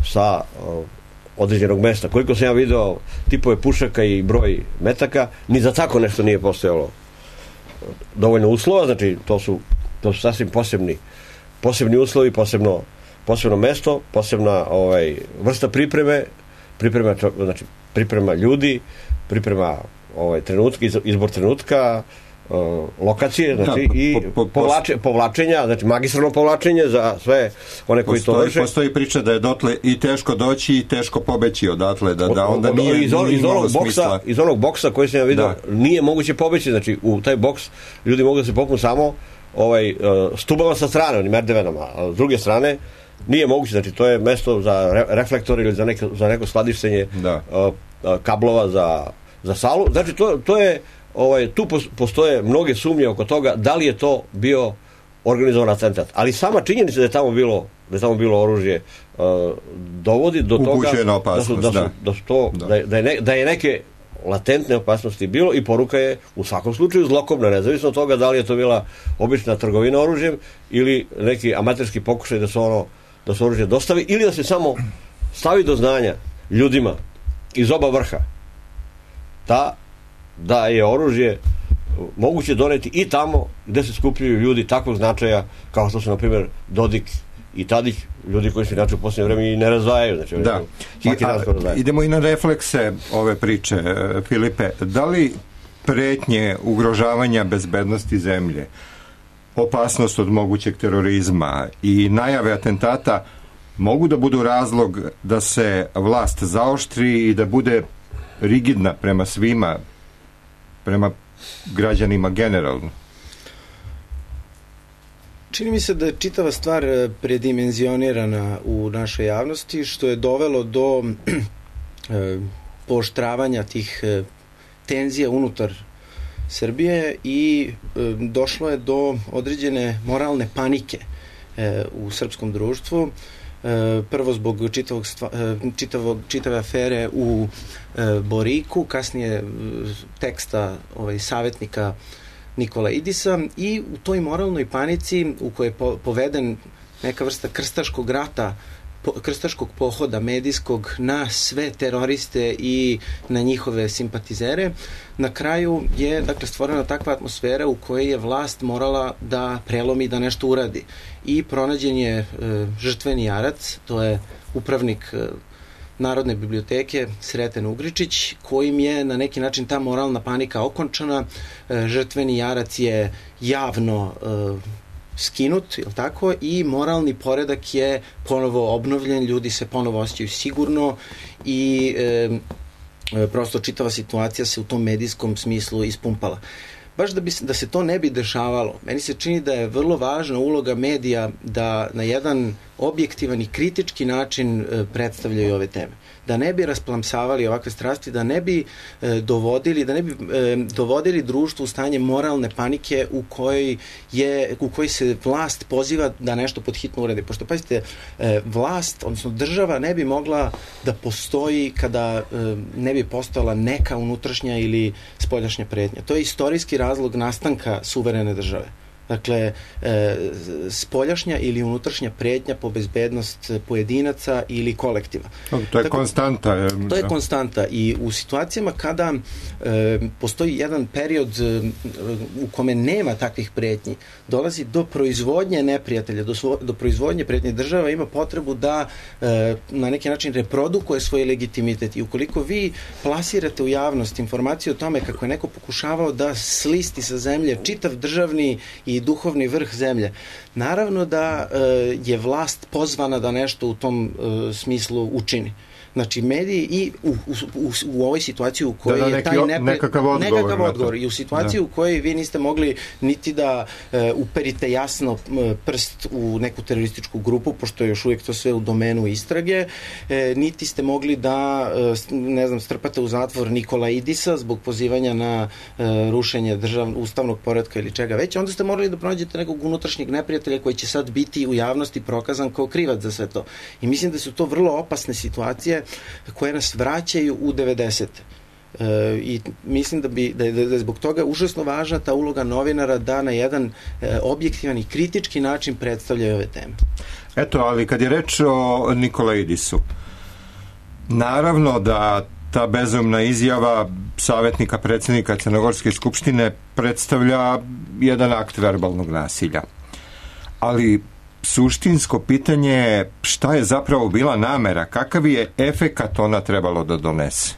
T: sa uh, određenog mesta. Koliko sam ja video tipove pušaka i broj metaka, ni za tako nešto nije postojalo dovoljno uslova, znači to su, to su sasvim posebni, posebni uslovi, posebno, posebno mesto, posebna ovaj, vrsta pripreme, priprema, znači, priprema ljudi, priprema ovaj, trenutka, izbor trenutka, Uh, lokacije, znači, da, i po, po, povlače, povlačenja, znači magistralno povlačenje za sve one koji
B: postoji,
T: to vrše.
B: Postoji priča da je dotle i teško doći i teško pobeći odatle, da, da onda nije,
T: iz, on,
B: nije
T: iz, onog boksa, iz onog boksa koji sam ja vidio, da. nije moguće pobeći, znači u taj boks ljudi mogu da se popnu samo ovaj, uh, stubama sa strane, onim merdevenama, a s druge strane nije moguće, znači to je mesto za re, reflektor ili za neko, za neko skladištenje
B: da.
T: uh, uh, kablova za, za salu, znači to, to je Ovaj, tu postoje mnoge sumnje oko toga da li je to bio organizovan atentat. Ali sama činjenica da je tamo bilo, da je tamo bilo oružje uh, dovodi do toga da su, da, su, da, su to, da. Da, da, je ne, da je neke latentne opasnosti bilo i poruka je u svakom slučaju zlokobna, nezavisno od toga da li je to bila obična trgovina oružjem ili neki amaterski pokušaj da se ono da se oružje dostavi ili da se samo stavi do znanja ljudima iz oba vrha da da je oružje moguće doneti i tamo gde se skupljaju ljudi takvog značaja kao što su, na primjer, Dodik i Tadić, ljudi koji se inače u posljednje vreme i ne razdvajaju. Znači,
B: da. I, a, idemo i na reflekse ove priče, Filipe. Da li pretnje ugrožavanja bezbednosti zemlje, opasnost od mogućeg terorizma i najave atentata mogu da budu razlog da se vlast zaoštri i da bude rigidna prema svima prema građanima generalno?
S: Čini mi se da je čitava stvar predimenzionirana u našoj javnosti, što je dovelo do pooštravanja tih tenzija unutar Srbije i došlo je do određene moralne panike u srpskom društvu. Prvo zbog čitavog, čitavog, čitave afere u Boriku, kasnije teksta ovaj, savjetnika Nikola Idisa, i u toj moralnoj panici u kojoj je poveden neka vrsta krstaškog rata, krstaškog pohoda medijskog na sve teroriste i na njihove simpatizere, na kraju je dakle stvorena takva atmosfera u kojoj je vlast morala da prelomi, da nešto uradi. I pronađen je e, žrtveni jarac, to je upravnik e, Narodne biblioteke Sreten Ugričić, kojim je na neki način ta moralna panika okončana. E, žrtveni jarac je javno e, skinut, je li tako, i moralni poredak je ponovo obnovljen, ljudi se ponovo osjećaju sigurno i e, prosto čitava situacija se u tom medijskom smislu ispumpala. Baš da, bi, da se to ne bi dešavalo, meni se čini da je vrlo važna uloga medija da na jedan objektivan i kritički način e, predstavljaju ove teme. Da ne bi rasplamsavali ovakve strasti, da ne bi e, dovodili, da ne bi e, dovodili društvo u stanje moralne panike u kojoj je, u kojoj se vlast poziva da nešto pod hitno uradi. Pošto, pazite, e, vlast, odnosno država ne bi mogla da postoji kada e, ne bi postojala neka unutrašnja ili spoljašnja pretnja. To je istorijski razlog nastanka suverene države. Dakle, e, spoljašnja ili unutrašnja pretnja po bezbednost pojedinaca ili kolektiva.
B: To je Tako, konstanta. Je,
S: to je da. konstanta i u situacijama kada e, postoji jedan period e, u kome nema takvih pretnji, dolazi do proizvodnje neprijatelja, do, svo, do proizvodnje pretnje, država ima potrebu da e, na neki način reprodukuje svoj legitimitet i ukoliko vi plasirate u javnost informaciju o tome kako je neko pokušavao da slisti sa zemlje čitav državni i duhovni vrh zemlje. Naravno da e, je vlast pozvana da nešto u tom e, smislu učini. Znači, mediji i u, u, u, u ovoj situaciji u kojoj da, da,
B: je taj nepri... nekakav odgovor,
S: nekakav odgovor i u situaciji da. u kojoj vi niste mogli niti da e, uperite jasno prst u neku terorističku grupu, pošto je još uvijek to sve u domenu istrage, e, niti ste mogli da e, ne znam, strpate u zatvor Nikola Idisa zbog pozivanja na e, rušenje državnog ustavnog poretka ili čega već, onda ste morali da pronađete nekog unutrašnjeg neprijatelja koji će sad biti u javnosti prokazan kao krivac za sve to. I mislim da su to vrlo opasne situacije koje nas vraćaju u devedesete. E, I mislim da, bi, da, je, da je zbog toga užasno važna ta uloga novinara da na jedan e, objektivan i kritički način predstavljaju ove teme.
B: Eto, ali kad je reč o Nikolaidisu, naravno da ta bezumna izjava savjetnika predsjednika Crnogorske skupštine predstavlja jedan akt verbalnog nasilja. Ali suštinsko pitanje je šta je zapravo bila namera, kakav je efekat ona trebalo da donese?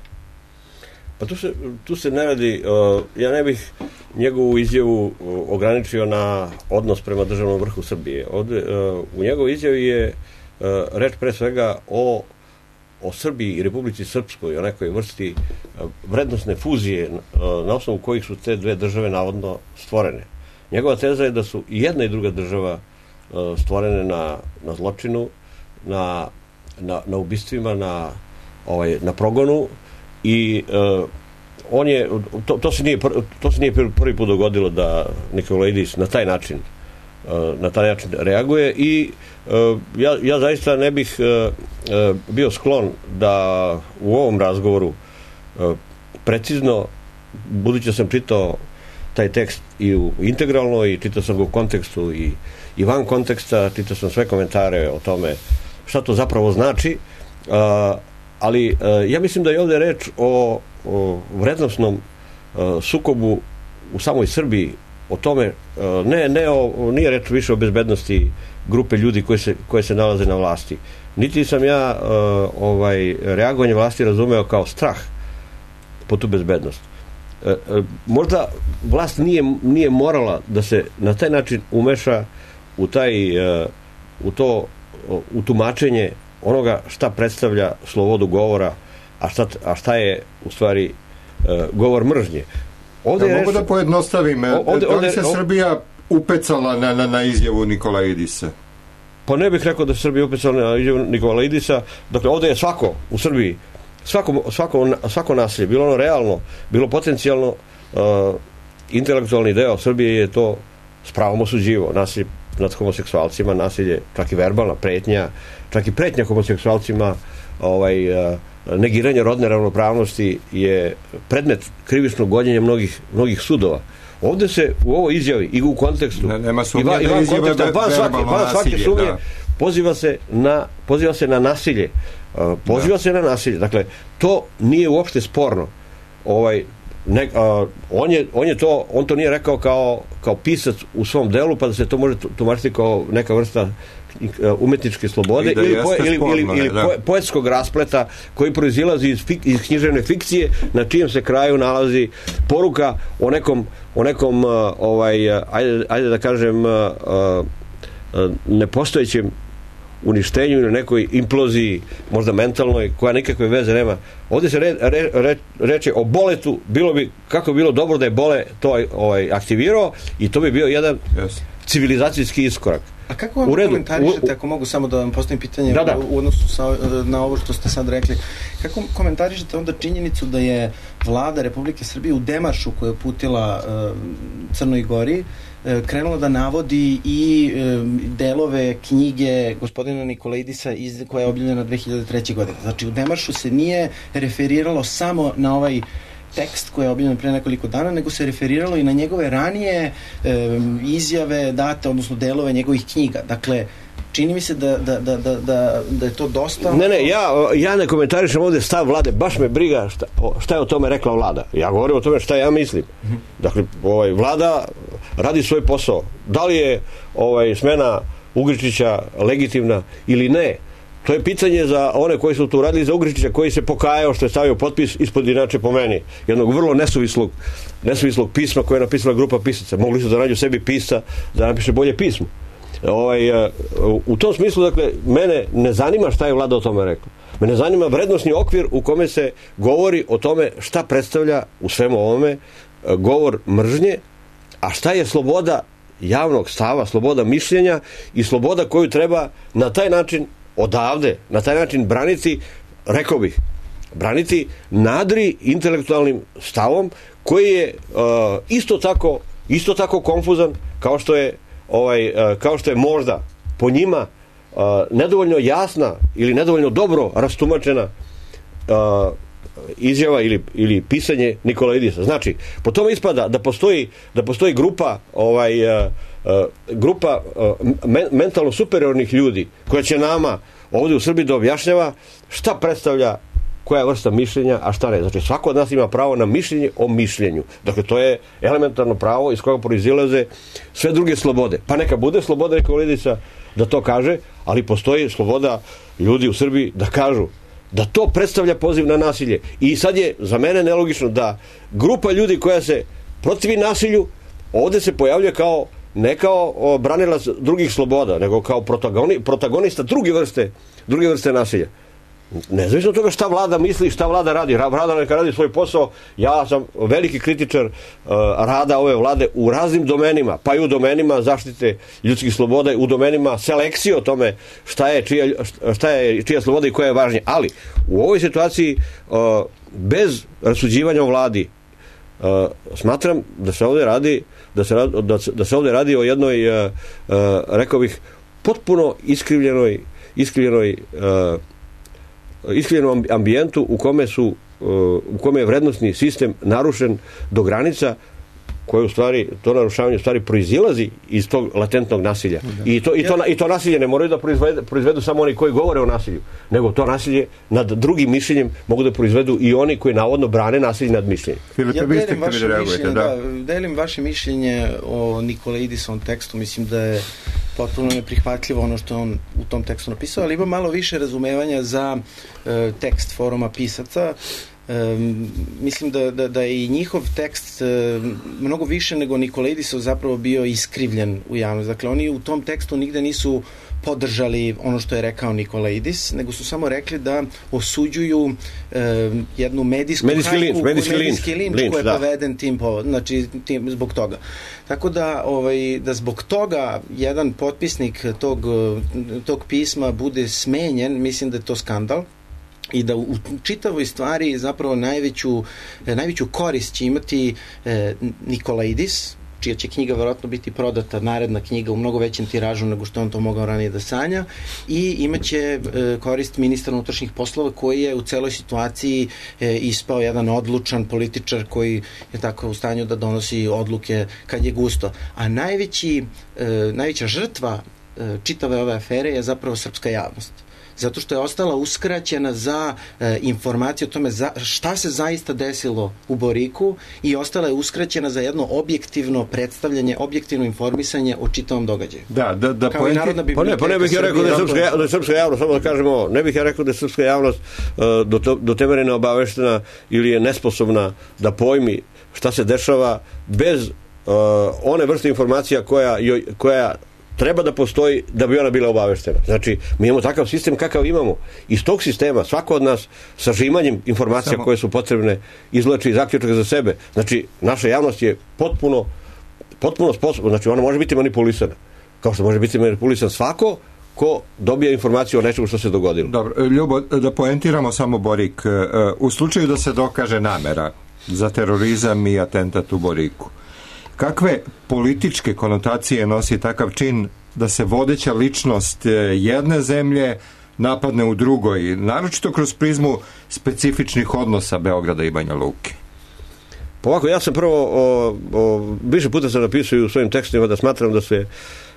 T: Pa tu se, tu se ne radi, uh, ja ne bih njegovu izjavu uh, ograničio na odnos prema državnom vrhu Srbije. Ovde, uh, u njegovoj izjavi je uh, reč pre svega o, o Srbiji i Republici Srpskoj, o nekoj vrsti uh, vrednostne fuzije uh, na osnovu kojih su te dve države navodno stvorene. Njegova teza je da su i jedna i druga država stvorene na, na zločinu, na, na, na ubistvima, na, ovaj, na progonu i uh, on je, to, to, se nije, to se nije prvi put dogodilo da Nikolaidis na taj način uh, na taj način reaguje i uh, ja, ja zaista ne bih uh, uh, bio sklon da u ovom razgovoru uh, precizno, budući sam čitao taj tekst i u integralno i čitao sam ga u kontekstu i i van konteksta, čitao sam sve komentare o tome šta to zapravo znači, uh, ali uh, ja mislim da je ovdje reč o, o vrednostnom uh, sukobu u samoj Srbiji, o tome, uh, ne, ne o, nije reč više o bezbednosti grupe ljudi koje se, koje se nalaze na vlasti. Niti sam ja uh, ovaj, reagovanje vlasti razumeo kao strah po tu bezbednost. Uh, uh, možda vlast nije, nije morala da se na taj način umeša u taj, u to, u tumačenje onoga šta predstavlja slobodu govora, a šta, a šta je u stvari govor mržnje.
B: Ovdje ja mogu da pojednostavim, ovdje, da li se ovdje, Srbija upecala na, na, na izjavu Nikolaidisa?
T: Pa ne bih rekao da se Srbija upecala na izjavu Nikolaidisa. Dakle, ovdje je svako u Srbiji, svako, svako, svako nasilje, bilo ono realno, bilo potencijalno, uh, intelektualni deo Srbije je to s pravom osuđivo. Nasilje nad homoseksualcima, nasilje, čak i verbalna pretnja, čak i pretnja homoseksualcima, ovaj, uh, negiranje rodne ravnopravnosti je predmet krivičnog gonjenja mnogih, mnogih sudova. Ovdje se u ovoj izjavi i u kontekstu
B: ne, nema sumnje
T: i van,
B: da
T: konteksta, van svake, van svake sumnje da. poziva se na poziva se na nasilje. Uh, poziva da. se na nasilje. Dakle, to nije uopšte sporno. Ovaj ne, uh, on je on je to on to nije rekao kao kao pisac u svom delu, pa da se to može tumačiti kao neka vrsta umetničke slobode ili, po, ili, sporno, ili, ili po, poetskog raspleta koji proizilazi iz, fik, iz književne fikcije na čijem se kraju nalazi poruka o nekom, o nekom uh, ovaj, ajde, ajde da kažem uh, uh, nepostojećem uništenju ili nekoj imploziji možda mentalnoj koja nikakve veze nema. Ovdje se re, re, re, reče o boletu, bilo bi, kako bi bilo dobro da je bole to ovaj, aktivirao i to bi bio jedan yes. civilizacijski iskorak.
S: A kako vam komentarišete, ako mogu samo da vam postavim pitanje da, da. u odnosu sa, na ovo što ste sad rekli, kako komentarišete onda činjenicu da je vlada Republike Srbije u demaršu koju je uputila uh, Crnoj Gori uh, krenula da navodi i uh, delove knjige gospodina Nikolaidisa iz, koja je objavljena dve hiljade treće. godine. Znači u demaršu se nije referiralo samo na ovaj tekst koji je objavljen pre nekoliko dana, nego se referiralo i na njegove ranije e, izjave date, odnosno delove njegovih knjiga. Dakle, čini mi se da, da, da, da, da je to dosta...
T: Ne, ne, ja, ja ne komentarišem ovdje stav vlade, baš me briga šta, šta je o tome rekla vlada. Ja govorim o tome šta ja mislim. Mm-hmm. Dakle, ovaj, vlada radi svoj posao. Da li je ovaj, smena Ugričića legitimna ili ne, to je pitanje za one koji su tu radili za Ugričića, koji se pokajao što je stavio potpis ispod, inače po meni, jednog vrlo nesuvislog, nesuvislog pisma koje je napisala grupa pisaca. Mogli su da nađu sebi pisca da napiše bolje pismo. Ovaj, u tom smislu, dakle, mene ne zanima šta je vlada o tome rekla. Mene zanima vrednosni okvir u kome se govori o tome šta predstavlja u svemu ovome govor mržnje, a šta je sloboda javnog stava, sloboda mišljenja i sloboda koju treba na taj način odavde, na taj način braniti, rekao bih, braniti nadri intelektualnim stavom koji je uh, isto tako isto tako konfuzan kao što je ovaj, uh, kao što je možda po njima uh, nedovoljno jasna ili nedovoljno dobro rastumačena uh, izjava ili, ili pisanje Nikolaidisa. Znači, po tome ispada da postoji da postoji grupa ovaj uh, uh, grupa uh, men, mentalno superiornih ljudi koja će nama ovdje u Srbiji da objašnjava šta predstavlja koja je vrsta mišljenja, a šta ne. Znači, svako od nas ima pravo na mišljenje o mišljenju. Dakle, to je elementarno pravo iz kojeg proizilaze sve druge slobode. Pa neka bude sloboda Nikolaidisa da to kaže, ali postoji sloboda ljudi u Srbiji da kažu da to predstavlja poziv na nasilje. I sad je za mene nelogično da grupa ljudi koja se protivi nasilju ovdje se pojavljuje kao ne kao branilac drugih sloboda, nego kao protagoni, protagonista druge vrste, druge vrste nasilja. Nezavisno od toga šta vlada misli, šta vlada radi. Vlada neka radi svoj posao. Ja sam veliki kritičar uh, rada ove vlade u raznim domenima, pa i u domenima zaštite ljudskih sloboda, u domenima selekcije o tome šta je čija, šta je čija sloboda i koja je važnija. Ali u ovoj situaciji uh, bez rasuđivanja o vladi uh, smatram da se ovdje radi da se, da, da se ovdje radi o jednoj uh, uh, rekao bih potpuno iskrivljenoj iskrivljenoj uh, iskrivljenom ambijentu u kome su u kome je vrednostni sistem narušen do granica koje u stvari, to narušavanje u stvari proizilazi iz tog latentnog nasilja. I to, i to, i to nasilje ne moraju da proizvedu, proizvedu samo oni koji govore o nasilju, nego to nasilje nad drugim mišljenjem mogu da proizvedu i oni koji navodno brane nasilje nad mišljenjem.
S: Filipe, ja delim vaše, mišljenje, da. Da, delim vaše mišljenje o Nikolaidisovom tekstu, mislim da je potpuno neprihvatljivo ono što on u tom tekstu napisao, ali ima malo više razumevanja za e, tekst foruma pisaca. Um, mislim da, da, da je i njihov tekst um, mnogo više nego Nikolaidisov zapravo bio iskrivljen u javnosti. Dakle, oni u tom tekstu nigde nisu podržali ono što je rekao Nikolaidis, nego su samo rekli da osuđuju um, jednu medijsku
T: medijski
S: hajku,
T: linč, medijski
S: medijski
T: linč,
S: linč koji je
T: da.
S: poveden tim, po, znači, tim zbog toga. Tako da, ovaj, da zbog toga jedan potpisnik tog, tog pisma bude smenjen, mislim da je to skandal i da u čitavoj stvari zapravo najveću, najveću korist će imati e, Nikolaidis, čija će knjiga verovatno biti prodata, naredna knjiga u mnogo većem tiražu nego što on to mogao ranije da sanja, i imaće e, korist ministra unutrašnjih poslova koji je u celoj situaciji e, ispao jedan odlučan političar koji je tako u stanju da donosi odluke kad je gusto. A najveći, e, najveća žrtva e, čitave ove afere je zapravo srpska javnost. Zato što je ostala uskraćena za e, informacije o tome za, šta se zaista desilo u Boriku i ostala je uskraćena za jedno objektivno predstavljanje, objektivno informisanje o čitavom događaju.
B: Da, da, da
S: kao i Narodna biblioteka.
T: Pa ne, pa ne bih ja rekao da je srpska, da je srpska javnost, samo da kažemo, ne bih ja rekao da je srpska javnost uh, do, to, do te mere neobaveštena ili je nesposobna da pojmi šta se dešava bez uh, one vrste informacija koja, joj, koja treba da postoji da bi ona bila obaveštena. Znači, mi imamo takav sistem kakav imamo. Iz tog sistema svako od nas sa žimanjem informacija Samo... koje su potrebne izvlači zaključak za sebe. Znači, naša javnost je potpuno potpuno sposobna. Znači, ona može biti manipulisana. Kao što može biti manipulisan svako ko dobija informaciju o nečemu što se dogodilo.
B: Dobro, Ljubo, da poentiramo samo Borik. U slučaju da se dokaže namera za terorizam i atentat u Boriku, kakve političke konotacije nosi takav čin da se vodeća ličnost jedne zemlje napadne u drugoj, naročito kroz prizmu specifičnih odnosa Beograda i Banja Luke?
T: Pa ovako, ja sam prvo o, o, više puta sam napisao u svojim tekstovima da smatram da se,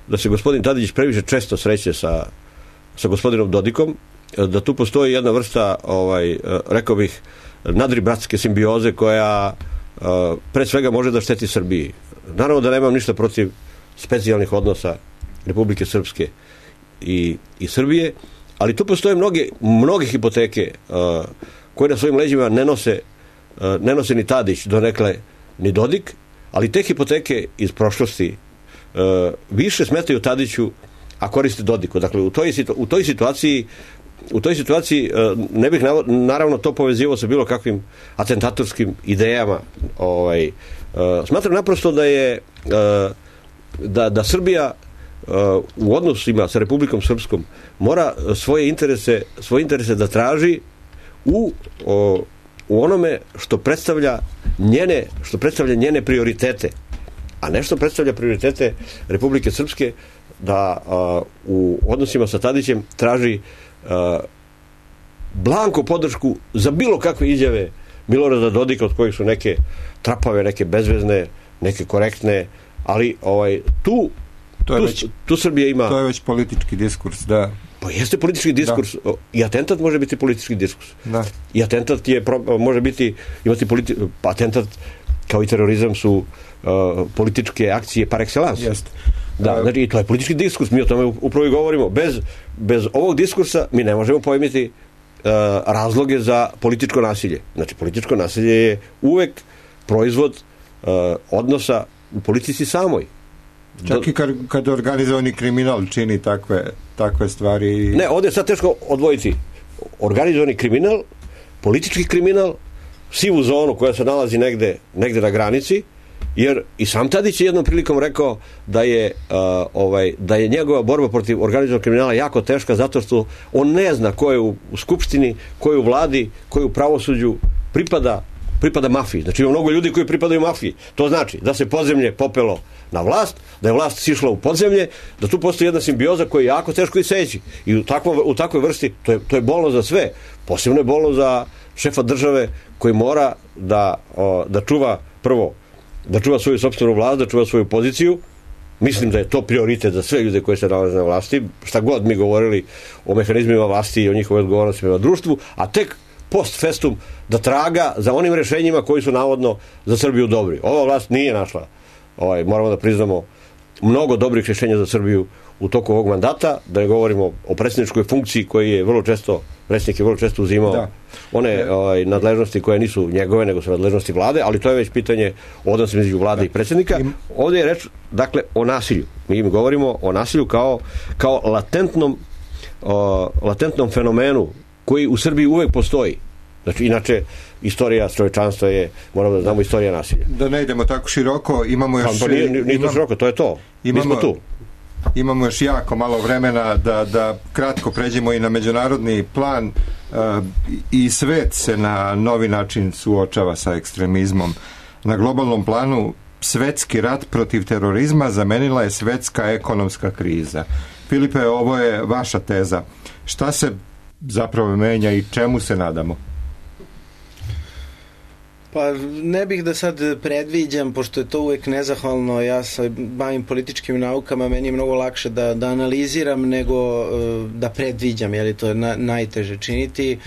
T: da se gospodin Tadić previše često sreće sa, sa gospodinom Dodikom, da tu postoji jedna vrsta, ovaj, rekao bih, nadribratske simbioze koja Uh, pre svega može da šteti Srbiji. Naravno da nemam ništa protiv specijalnih odnosa Republike Srpske i, i Srbije, ali tu postoje mnoge, mnoge hipoteke uh, koje na svojim leđima ne nose, uh, ne nose ni Tadić, donekle ni Dodik, ali te hipoteke iz prošlosti uh, više smetaju Tadiću, a koriste Dodiku. Dakle, u toj, u toj situaciji u toj situaciji ne bih naravno to povezivao sa bilo kakvim atentatorskim idejama. Ovaj, smatram naprosto da je da, da Srbija u odnosima sa Republikom Srpskom mora svoje interese, svoje interese da traži u, u onome što predstavlja njene, što predstavlja njene prioritete, a ne što predstavlja prioritete Republike Srpske, da u odnosima sa Tadićem traži Uh, blanko podršku za bilo kakve izjave Milorada Dodika, od kojih su neke trapave, neke bezvezne, neke korektne, ali ovaj, tu,
B: to je
T: tu,
B: već,
T: tu Srbija ima...
B: To je već politički diskurs, da.
T: Pa jeste politički diskurs. Da. I atentat može biti politički diskurs.
B: Da.
T: I atentat je, može biti, imati politi, atentat kao i terorizam su uh, političke akcije par excellence.
B: Jeste.
T: Da, znači, to je politički diskurs, mi o tome upravo i govorimo. Bez, bez ovog diskursa mi ne možemo pojmiti uh, razloge za političko nasilje. Znači, političko nasilje je uvek proizvod uh, odnosa u politici samoj.
B: Čak i kad, kad organizovani kriminal čini takve, takve stvari.
T: Ne, ovdje je sad teško odvojiti organizovani kriminal, politički kriminal, sivu zonu koja se nalazi negde, negde na granici, jer i sam Tadić je jednom prilikom rekao da je, uh, ovaj, da je njegova borba protiv organizovanog kriminala jako teška zato što on ne zna ko je u, u skupštini, ko je u vladi, ko je u pravosuđu, pripada, pripada mafiji. Znači ima mnogo ljudi koji pripadaju mafiji. To znači da se podzemlje popelo na vlast, da je vlast sišla u podzemlje, da tu postoji jedna simbioza koja je jako teško iseći. I u, takvom, u takvoj vrsti to je, to je bolno za sve. Posebno je bolno za šefa države koji mora da, o, da čuva prvo da čuva svoju sopstvenu vlast, da čuva svoju poziciju. Mislim da je to prioritet za sve ljude koji se nalaze na vlasti, šta god mi govorili o mehanizmima vlasti i o njihovoj odgovornosti prema društvu, a tek post festum da traga za onim rešenjima koji su navodno za Srbiju dobri. Ova vlast nije našla, ovaj, moramo da priznamo, mnogo dobrih rešenja za Srbiju u toku ovog mandata, da ne govorimo o predsjedničkoj funkciji koji je vrlo često predsjednik je vrlo često uzimao da. one ovaj, nadležnosti koje nisu njegove, nego su nadležnosti vlade, ali to je već pitanje odnosa između vlade da. i predsjednika. Ovdje je reč, dakle, o nasilju. Mi im govorimo o nasilju kao, kao latentnom, o, latentnom fenomenu koji u Srbiji uvek postoji. Znači, inače, istorija čovečanstva je, moramo da znamo, istorija nasilja.
B: Da ne idemo tako široko, imamo još...
T: Pa nije, nije imam, to široko, to je to. Imamo, Mi smo tu.
B: Imamo još jako malo vremena da, da kratko pređemo i na međunarodni plan. Uh, i svet se na novi način suočava sa ekstremizmom. Na globalnom planu svetski rat protiv terorizma zamenila je svetska ekonomska kriza. Filipe, ovo je vaša teza. Šta se zapravo menja i čemu se nadamo?
S: Pa ne bih da sad predviđam, pošto je to uvek nezahvalno, ja se bavim političkim naukama, meni je mnogo lakše da, da analiziram nego da predviđam, jer to je na, najteže činiti.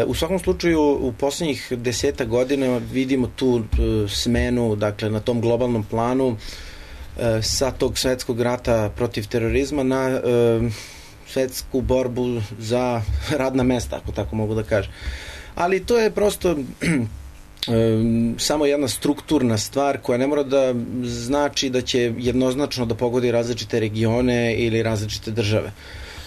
S: U svakom slučaju, u poslednjih deseta godina vidimo tu smenu, dakle, na tom globalnom planu sa tog svetskog rata protiv terorizma na svetsku borbu za radna mesta, ako tako mogu da kažem. Ali to je prosto samo jedna strukturna stvar koja ne mora da znači da će jednoznačno da pogodi različite regione ili različite države.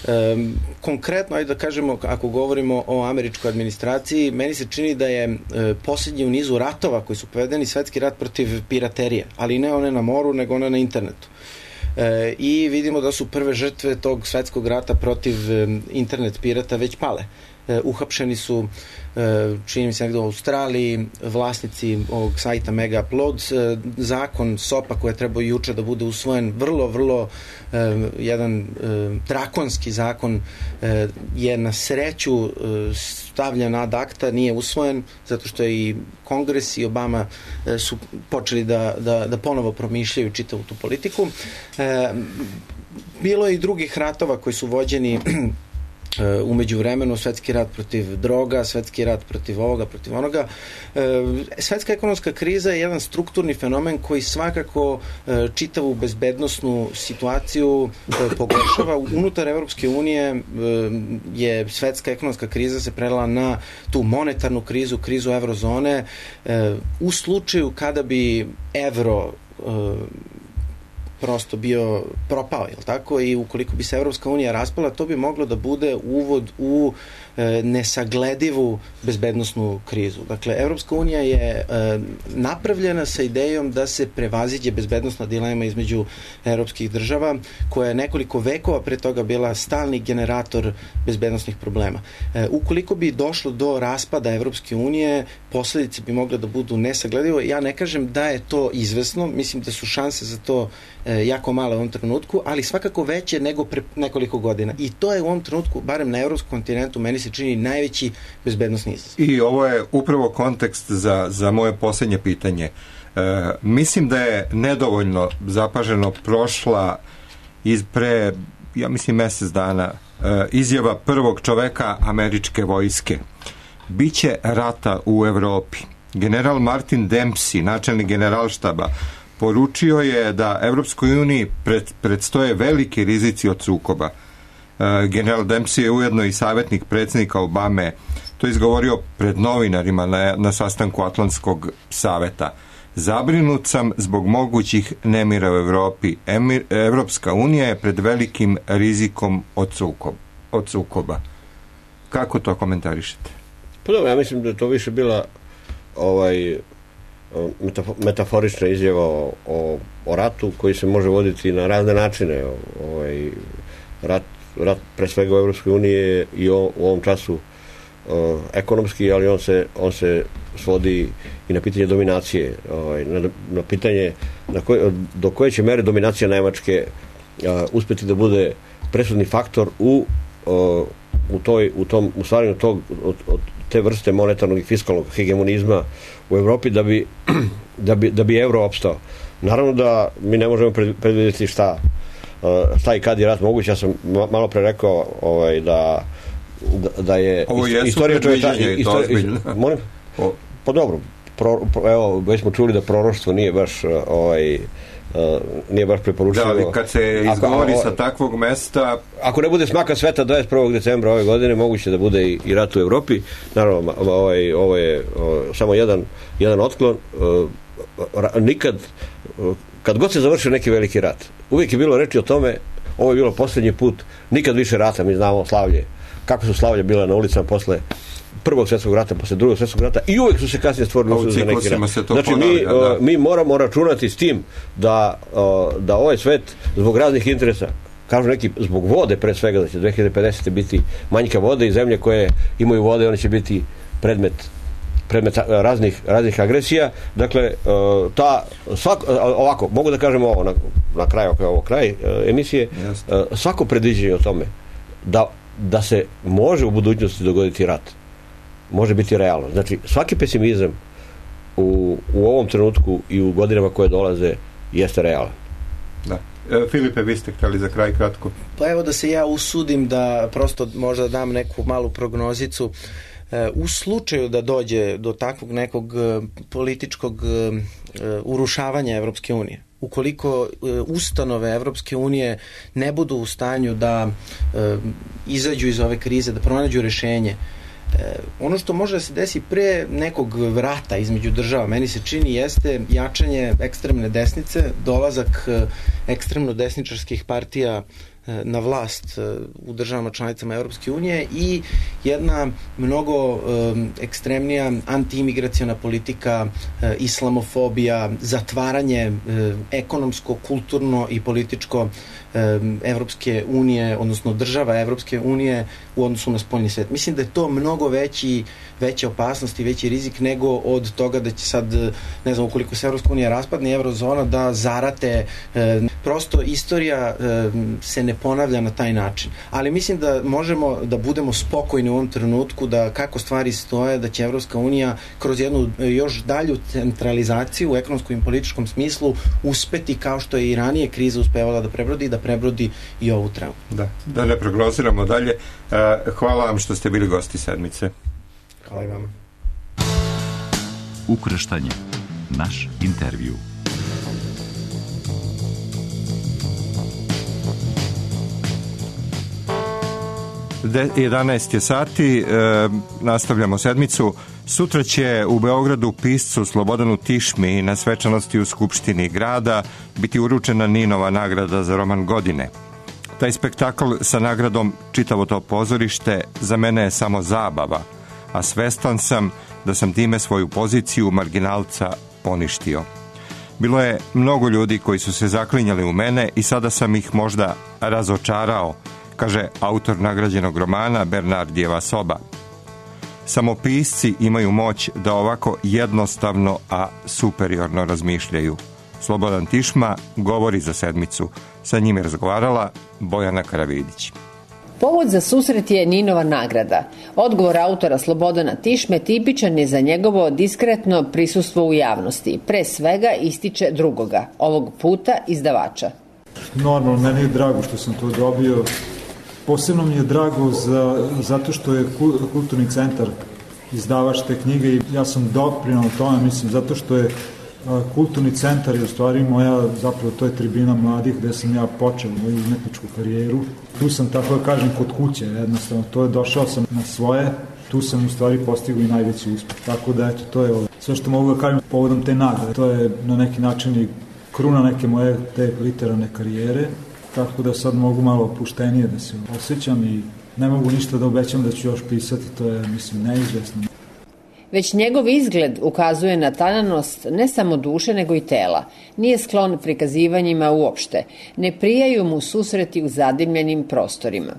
S: Um, konkretno, ajde da kažemo, ako govorimo o američkoj administraciji, meni se čini da je uh, posljednji u nizu ratova koji su povedeni svetski rat protiv piraterije, ali ne one na moru, nego one na internetu. E, i vidimo da su prve žrtve tog svetskog rata protiv um, internet pirata već pale. E, uhapšeni su, e, čini mi se negdje u Australiji, vlasnici ovog sajta Mega Upload. E, zakon S O P-a koji je trebao juče da bude usvojen, vrlo, vrlo e, jedan e, drakonski zakon, e, je na sreću e, stavljen ad acta, nije usvojen, zato što je i Kongres i Obama e, su počeli da, da, da ponovo promišljaju čitavu tu politiku. E, bilo je i drugih ratova koji su vođeni umeđu vremenu, svetski rat protiv droga, svetski rat protiv ovoga, protiv onoga. Svetska ekonomska kriza je jedan strukturni fenomen koji svakako čitavu bezbednosnu situaciju pogoršava. Unutar Evropske unije je svetska ekonomska kriza se prelila na tu monetarnu krizu, krizu eurozone. U slučaju kada bi evro prosto bio propao, je li tako? I ukoliko bi se Evropska unija raspala, to bi moglo da bude uvod u e, nesagledivu bezbednosnu krizu. Dakle, Evropska unija je e, napravljena sa idejom da se prevaziđe bezbednosna dilema između evropskih država, koja je nekoliko vekova pre toga bila stalni generator bezbednosnih problema. E, ukoliko bi došlo do raspada Evropske unije, posledice bi mogle da budu nesagledivo. Ja ne kažem da je to izvesno, mislim da su šanse za to jako male u ovom trenutku, ali svakako veće nego pre nekoliko godina. I to je u ovom trenutku, barem na evropskom kontinentu, meni se čini najveći bezbednosni izazov.
B: I ovo je upravo kontekst za, za moje posljednje pitanje. E, mislim da je nedovoljno zapaženo prošla iz pre, ja mislim, mjesec dana e, izjava prvog čoveka američke vojske. Biće rata u Evropi. General Martin Dempsey, načelnik generalštaba, poručio je da Evropskoj uniji pred, predstoje veliki rizici od sukoba. E, general Dempsey je ujedno i savjetnik predsjednika Obame. To je izgovorio pred novinarima na, na sastanku Atlantskog saveta. Zabrinut sam zbog mogućih nemira u Evropi. Emir, Evropska unija je pred velikim rizikom od, sukob, od sukoba. Kako to komentarišete?
T: Pa dobro, ja mislim da je to više bila ovaj metaforična izjava o, o, o ratu koji se može voditi na razne načine. Ovaj, rat, rat pre svega u Evropskoj uniji i o, u ovom času o, ekonomski, ali on se, on se svodi i na pitanje dominacije. Ovaj, na, na pitanje na koje, do koje će mere dominacija Nemačke a, uspjeti da bude presudni faktor u, o, u, toj, u tom u stvaranju tog od, od te vrste monetarnog i fiskalnog hegemonizma u Evropi da bi, da bi, da bi euro opstao. Naravno da mi ne možemo predvidjeti šta, šta i kad je rat moguće. Ja sam malo pre rekao ovaj, da, da, da je
B: ovo jesu istorija predviđenja i to ozbiljno.
T: Molim? Pa dobro, pro, pro, evo, već smo čuli da proroštvo nije baš ovaj, uh, nije baš preporučivo.
B: Da, ali kad se izgovori
T: ako,
B: sa takvog mesta...
T: Ako ne bude smaka sveta dvadeset prvog decembra ove godine, moguće da bude i, i rat u Evropi. Naravno, ovaj, ovo je o, samo jedan, jedan otklon. Uh, nikad, uh, kad god se završio neki veliki rat, uvijek je bilo reči o tome, ovo je bilo posljednji put, nikad više rata, mi znamo slavlje, kako su slavlje bila na ulicama posle prvog svjetskog rata, posle drugog svjetskog rata i uvijek su se kasnije stvorili uslovi za neki rat. Znači mi, da. mi moramo računati s tim da, da ovaj svet zbog raznih interesa, kažu neki zbog vode pre svega, da će dve hiljade pedesete biti manjka vode i zemlje koje imaju vode, one će biti predmet predmet raznih, raznih agresija. Dakle, ta, svako, ovako, mogu da kažem ovo na, na kraju, ako je ovo kraj emisije, Jasne. svako predviđenje o tome da, da se može u budućnosti dogoditi rat, može biti realno. Znači, svaki pesimizam u, u ovom trenutku i u godinama koje dolaze jeste realan.
B: Da. E, Filipe, vi ste htjeli za kraj kratko.
S: Pa evo da se ja usudim da prosto možda dam neku malu prognozicu. U slučaju da dođe do takvog nekog političkog urušavanja Evropske unije, ukoliko ustanove Evropske unije ne budu u stanju da izađu iz ove krize, da pronađu rešenje, ono što može da se desi pre nekog vrata između država, meni se čini, jeste jačanje ekstremne desnice, dolazak ekstremno desničarskih partija na vlast u državama članicama Evropske unije i jedna mnogo um, ekstremnija antiimigraciona politika, uh, islamofobija, zatvaranje uh, ekonomsko, kulturno i političko um, Evropske unije, odnosno država Evropske unije u odnosu na spoljni svet. Mislim da je to mnogo veći, veća opasnost i veći rizik nego od toga da će sad, ne znam, ukoliko se Evropska unija raspadne, eurozona, da zarate. Um, prosto istorija um, se ne ponavlja na taj način. Ali mislim da možemo da budemo spokojni u ovom trenutku, da kako stvari stoje, da će Evropska unija kroz jednu još dalju centralizaciju u ekonomskom i političkom smislu uspeti, kao što je i ranije kriza uspevala da prebrodi, da prebrodi i ovu traumu.
B: Da, da ne prognoziramo dalje. Hvala vam što ste bili gosti sedmice.
S: Hvala i vama.
A: Ukrštanje. Naš intervju.
B: jedanaest je sati, e, nastavljamo sedmicu. Sutra će u Beogradu piscu Slobodanu Tišmi na svečanosti u Skupštini grada biti uručena Ninova nagrada za roman godine. Taj spektakl sa nagradom Čitavo to pozorište za mene je samo zabava, a svestan sam da sam time svoju poziciju marginalca poništio. Bilo je mnogo ljudi koji su se zaklinjali u mene i sada sam ih možda razočarao, kaže autor nagrađenog romana Bernardijeva soba. Samo pisci imaju moć da ovako jednostavno, a superiorno razmišljaju. Slobodan Tišma govori za sedmicu. Sa njim je razgovarala Bojana Karavidić.
U: Povod za susret je Ninova nagrada. Odgovor autora Slobodana Tišme tipičan je za njegovo diskretno prisustvo u javnosti. Pre svega ističe drugoga, ovog puta izdavača.
V: Normalno, meni je drago što sam to dobio. Posebno mi je drago za, zato što je Kulturni centar izdavač te knjige i ja sam doprinao tome, mislim, zato što je a, Kulturni centar je u stvari moja, zapravo to je tribina mladih gde sam ja počeo moju umetničku karijeru. Tu sam, tako da kažem, kod kuće, jednostavno, to je, došao sam na svoje, tu sam u stvari postigao i najveći uspeh. Tako da, eto, to je ovo. Sve što mogu da kažem povodom te nagrade, to je na neki način i kruna neke moje te literarne karijere. Tako da sad mogu malo opuštenije da se osjećam i ne mogu ništa da obećam da ću još pisati, to je, mislim, neizvesno.
U: Već njegov izgled ukazuje na tananost ne samo duše, nego i tela. Nije sklon prikazivanjima uopšte. Ne prijaju mu susreti u zadimljenim prostorima.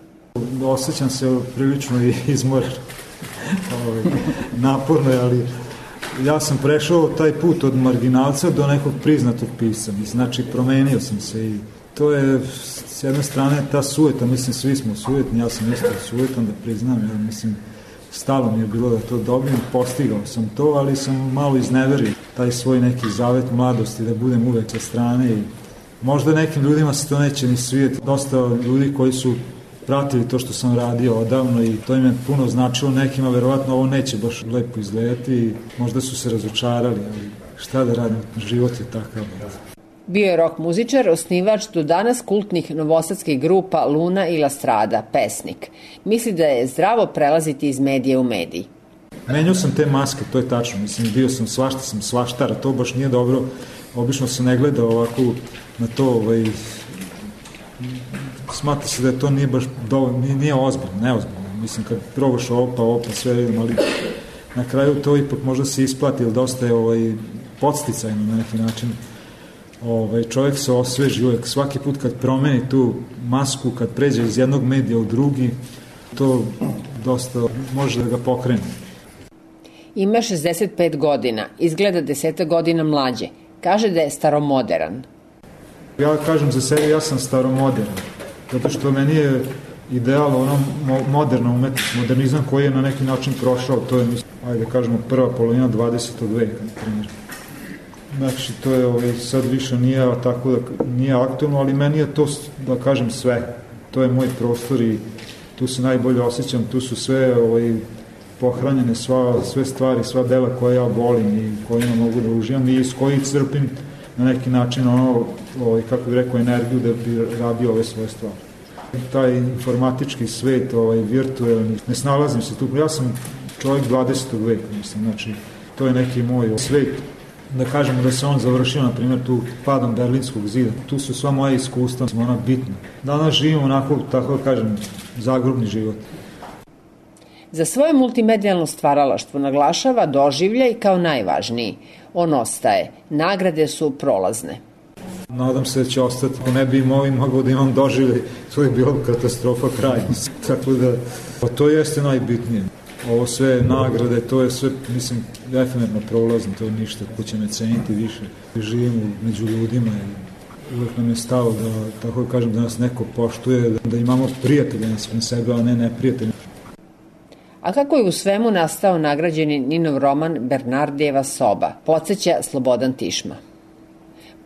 V: Osjećam se prilično izmoren. Naporno je, ali ja sam prešao taj put od marginalca do nekog priznatog pisca. Znači, promenio sam se i to je, s jedne strane, ta sujeta, mislim, svi smo sujetni, ja sam isto sujetan, da priznam, ja mislim, stalo mi je bilo da to dobijem, postigao sam to, ali sam malo izneverio taj svoj neki zavet mladosti, da budem uvek sa strane i možda nekim ljudima se to neće ni svijeti. Dosta ljudi koji su pratili to što sam radio odavno i to im je puno značilo, nekima verovatno ovo neće baš lepo izgledati i možda su se razočarali, ali šta da radim, život je takav.
U: Bio je rock muzičar, osnivač do danas kultnih novosadskih grupa Luna i La Strada, pesnik. Misli da je zdravo prelaziti iz medija u medij.
V: Menjao sam te maske, to je tačno. Mislim, bio sam svašta, sam svaštara, to baš nije dobro. Obično se ne gleda ovako na to, ovaj, smatra se da to nije baš dovoljno, nije, nije ozbiljno, neozbiljno. Mislim, kad probaš ovo pa ovo pa sve vidim, ali na kraju to ipak možda se isplati, ili dosta je ovaj, podsticajno na neki način. Ovaj, čovjek se osveži uvek, svaki put kad promeni tu masku, kad pređe iz jednog medija u drugi, to dosta može da ga pokrene.
U: Ima šezdeset pet godina, izgleda deseta godina mlađe. Kaže da je staromoderan.
V: Ja kažem za sebe, ja sam staromoderan, zato što meni je ideal ono moderna umetnost, modernizam koji je na neki način prošao, to je, ajde kažemo, prva polovina dvadesetog veka, na primjer. Znači, to je ovaj, sad više nije tako da nije aktualno, ali meni je to, da kažem, sve. To je moj prostor i tu se najbolje osjećam, tu su sve ovaj, pohranjene sva, sve stvari, sva dela koje ja volim i kojima mogu da uživam i s kojih crpim na neki način ono, ovaj, kako bih rekao, energiju da bi radio ove svoje stvari. Taj informatički svet, ovaj, virtualni, ne snalazim se tu, ja sam čovjek dvadesetog veka, mislim, znači, to je neki moj svet. Da kažemo da se on završio, na primjer, tu padom Berlinskog zida. Tu su sva moja iskustva, ona bitna. Danas živimo onako, tako da kažem, zagrobni život.
U: Za svoje multimedijalno stvaralaštvo naglašava doživljaj kao najvažniji. On ostaje. Nagrade su prolazne.
V: Nadam se da će ostati. Ako ne bi imao i mogao da imam doživljaj, to je bilo katastrofa kraj. Tako da, pa to jeste najbitnije. Ovo sve nagrade, to je sve, mislim, efemerno prolazno, to je ništa, ko će me ceniti više. Živimo među ljudima i uvek nam je stalo da, tako da kažem, da nas neko poštuje, da, da imamo prijatelje na svim sebe, a ne neprijatelje.
U: A kako je u svemu nastao nagrađeni Ninov roman Bernardijeva soba, podsjeća Slobodan Tišma.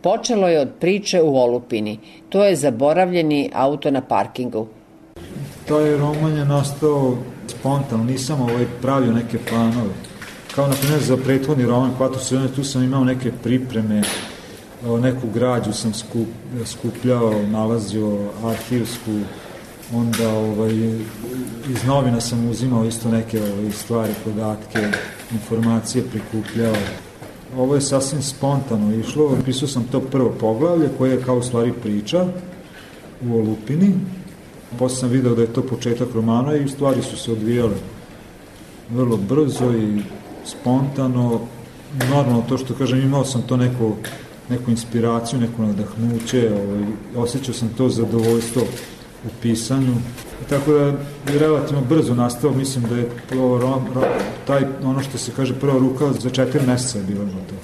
U: Počelo je od priče u olupini, to je zaboravljeni auto na parkingu.
V: Taj roman je nastao spontano, nisam ovaj pravio neke planove. Kao na primjer za prethodni roman Kvator sredine, tu sam imao neke pripreme, neku građu sam skup, skupljao, nalazio arhivsku, onda ovaj, iz novina sam uzimao isto neke ovaj, stvari, podatke, informacije prikupljao. Ovo je sasvim spontano išlo, pisao sam to prvo poglavlje koje je kao u stvari priča u olupini. Posle sam video da je to početak romana i stvari su se odvijale vrlo brzo i spontano. Normalno to što kažem, imao sam to neko, neku inspiraciju, neko nadahnuće, ovaj, osjećao sam to zadovoljstvo u pisanju. Tako da je relativno brzo nastao, mislim da je to, taj, ono što se kaže, prva ruka za četiri meseca je bilo to.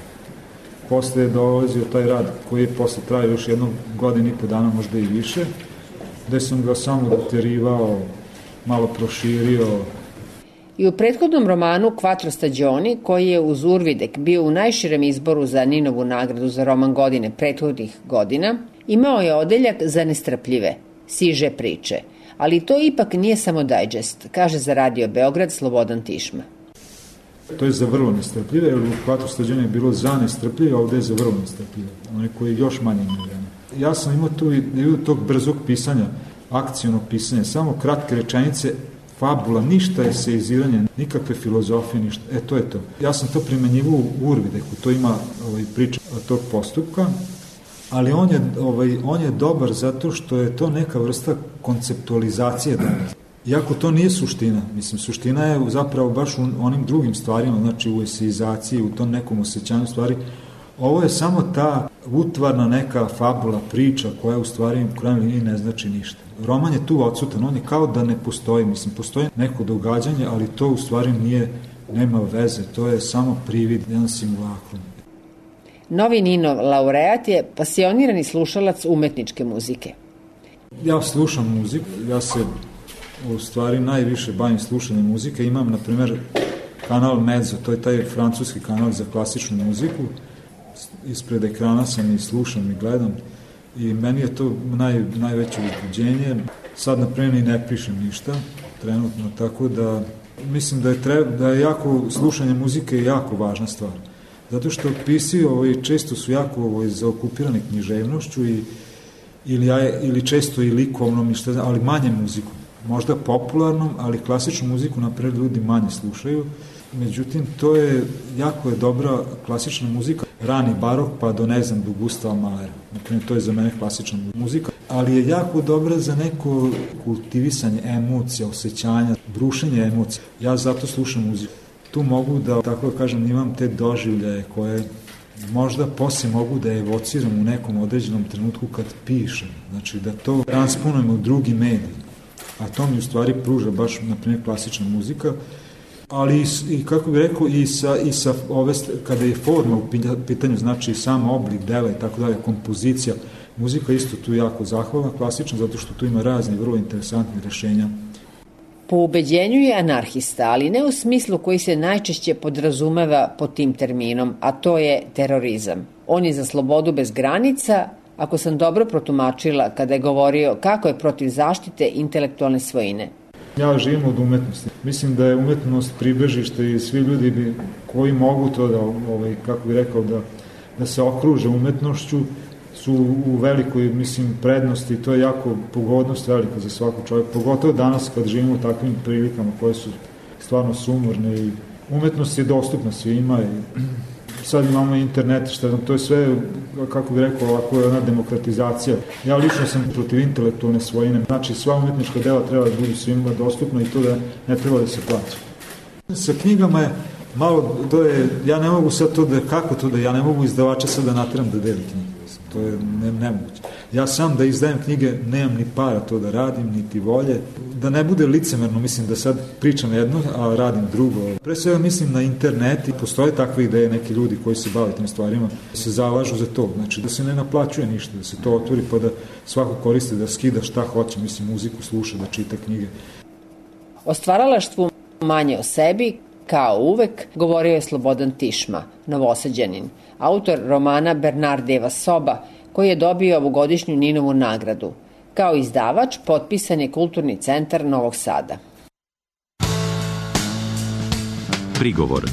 V: Posle je dolazio taj rad koji je posle trajao još jednu godinu i po dana, možda i više, gde sam ga samo doterivao, malo proširio.
U: I u prethodnom romanu Quattro stagioni, koji je uz Urvidek bio u najširem izboru za Ninovu nagradu za roman godine prethodnih godina, imao je odeljak za nestrpljive, siže priče. Ali to ipak nije samo dajđest, kaže za Radio Beograd Slobodan Tišma.
V: To je za vrlo nestrpljive, jer u Quattro stagioni je bilo za nestrpljive, a ovde je za vrlo nestrpljive, one koji je još manje nevjene. Ja sam imao tu ideju tog brzog pisanja, akcionog pisanja, samo kratke rečenice, fabula, ništa je seiziranje, nikakve filozofije, ništa. E, to je to. Ja sam to primenjivao u Urvideku, to ima ovaj, priča tog postupka, ali on je, ovaj, on je dobar zato što je to neka vrsta konceptualizacije danas. Iako to nije suština, mislim, suština je zapravo baš u onim drugim stvarima, znači u eseizaciji, u tom nekom osjećanju stvari. Ovo je samo ta utvarna neka fabula, priča koja u stvari u krajnjoj liniji ne znači ništa. Roman je tu odsutan, on je kao da ne postoji, mislim, postoji neko događanje, ali to u stvari nije, nema veze, to je samo privid, jedan simulakrum.
U: Novi Ninov laureat je pasionirani slušalac umetničke muzike.
V: Ja slušam muziku, ja se u stvari najviše bavim slušanjem muzike. Imam, na primjer, kanal Mezzo, to je taj francuski kanal za klasičnu muziku. Ispred ekrana sam i slušam i gledam i meni je to naj, najveće uzbuđenje. Sad, na primjer, i ne pišem ništa trenutno, tako da mislim da je, treba, da je jako, slušanje muzike je jako važna stvar. Zato što pisci ovaj, često su jako ovaj, zaokupirani književnošću i, ili, ili često i likovnom, ali manje muzikom. Možda popularnom, ali klasičnu muziku napred ljudi manje slušaju. Međutim, to je, jako je dobra klasična muzika, rani barok pa do ne znam, do Gustava Mahlera. Naprimjer, to je za mene klasična muzika, ali je jako dobra za neko kultivisanje emocija, osjećanja, brušenje emocija. Ja zato slušam muziku. Tu mogu da, tako da kažem, imam te doživljaje koje možda poslije mogu da evociram u nekom određenom trenutku kad pišem. Znači, da to transponujem u drugi medij. A to mi u stvari pruža baš, na primjer, klasična muzika, ali i, kako bih rekao, i sa, i sa ove, kada je forma u pitanju, znači sam oblik dela i tako dalje, kompozicija, muzika isto tu jako zahvalna, klasična, zato što tu ima razni vrlo interesantni rešenja.
U: Po ubeđenju je anarhista, ali ne u smislu koji se najčešće podrazumeva pod tim terminom, a to je terorizam. On je za slobodu bez granica, ako sam dobro protumačila kada je govorio kako je protiv zaštite intelektualne svojine.
V: Ja živim od umetnosti. Mislim da je umetnost pribežište i svi ljudi bi, koji mogu to da, ovaj, kako bih rekao, da, da se okruže umetnošću, su u velikoj, mislim, prednosti. To je jako pogodnost velika za svakog čovjeka. Pogotovo danas kad živimo u takvim prilikama koje su stvarno sumorne i umetnost je dostupna svima i sad imamo internet, šta znam, to je sve, kako bih rekao, ovako je ona demokratizacija. Ja lično sam protiv intelektualne svojine. Znači, sva umetnička dela treba da budu svima dostupna i to da ne treba da se plaća. Sa knjigama je malo, to je, ja ne mogu sad to da, kako to da, ja ne mogu izdavača sad da natjeram da deli knjige. To je ne, nemoguće. Ja sam da izdajem knjige, nemam ni para to da radim, niti volje. Da ne bude licemerno, mislim da sad pričam jedno, a radim drugo. Pre svega mislim na internet i postoje takve ideje, neki ljudi koji se bave tim stvarima, se zalažu za to. Znači da se ne naplaćuje ništa, da se to otvori pa da svako koristi, da skida šta hoće, mislim, muziku sluša, da čita knjige.
U: O stvaralaštvu manje o sebi, kao uvek, govorio je Slobodan Tišma, Novosađanin, autor romana Bernardijeva soba, koji je dobio ovogodišnju Ninovu nagradu. Kao izdavač potpisan je Kulturni centar Novog Sada.
A: Prigovor.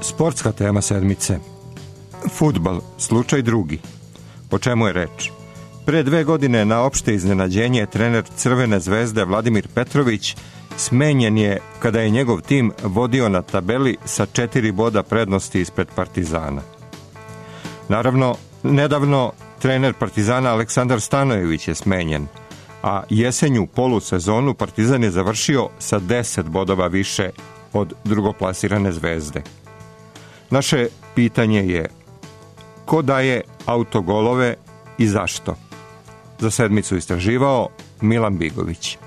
B: Sportska tema sedmice. Fudbal, slučaj drugi. O čemu je reč? Pre dve godine na opšte iznenađenje trener Crvene zvezde Vladimir Petrović smenjen je kada je njegov tim vodio na tabeli sa četiri boda prednosti ispred Partizana. Naravno, nedavno trener Partizana Aleksandar Stanojević je smenjen, a jesenju polusezonu Partizan je završio sa deset bodova više od drugoplasirane Zvezde. Naše pitanje je: ko daje autogolove i zašto? Za sedmicu istraživao Milan Bigović.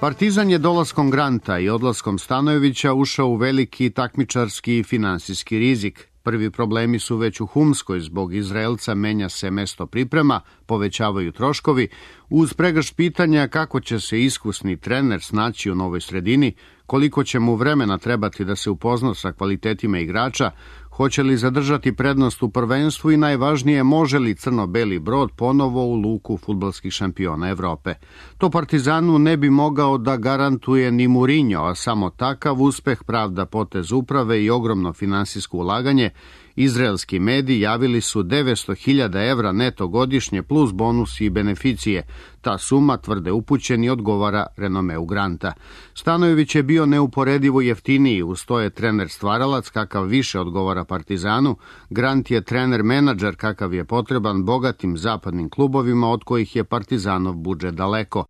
D: Partizan je dolaskom Granta i odlaskom Stanojevića ušao u veliki takmičarski i finansijski rizik. Prvi problemi su već u Humskoj, zbog Izraelca menja se mesto priprema, povećavaju troškovi, uz pregršt pitanja kako će se iskusni trener snaći u novoj sredini, koliko će mu vremena trebati da se upozna sa kvalitetima igrača, hoće li zadržati prednost u prvenstvu i najvažnije, može li crno-beli brod ponovo u luku fudbalskih šampiona Evrope. To Partizanu ne bi mogao da garantuje ni Mourinho, a samo takav uspeh pravda potez uprave i ogromno finansijsko ulaganje. Izraelski mediji javili su devetsto hiljada evra neto godišnje plus bonusi i beneficije. Ta suma, tvrde upućeni, odgovara renomeu Granta. Stanojević je bio neuporedivo jeftiniji, uz to je trener stvaralac kakav više odgovara Partizanu. Grant je trener-menadžer kakav je potreban bogatim zapadnim klubovima od kojih je Partizanov budžet daleko.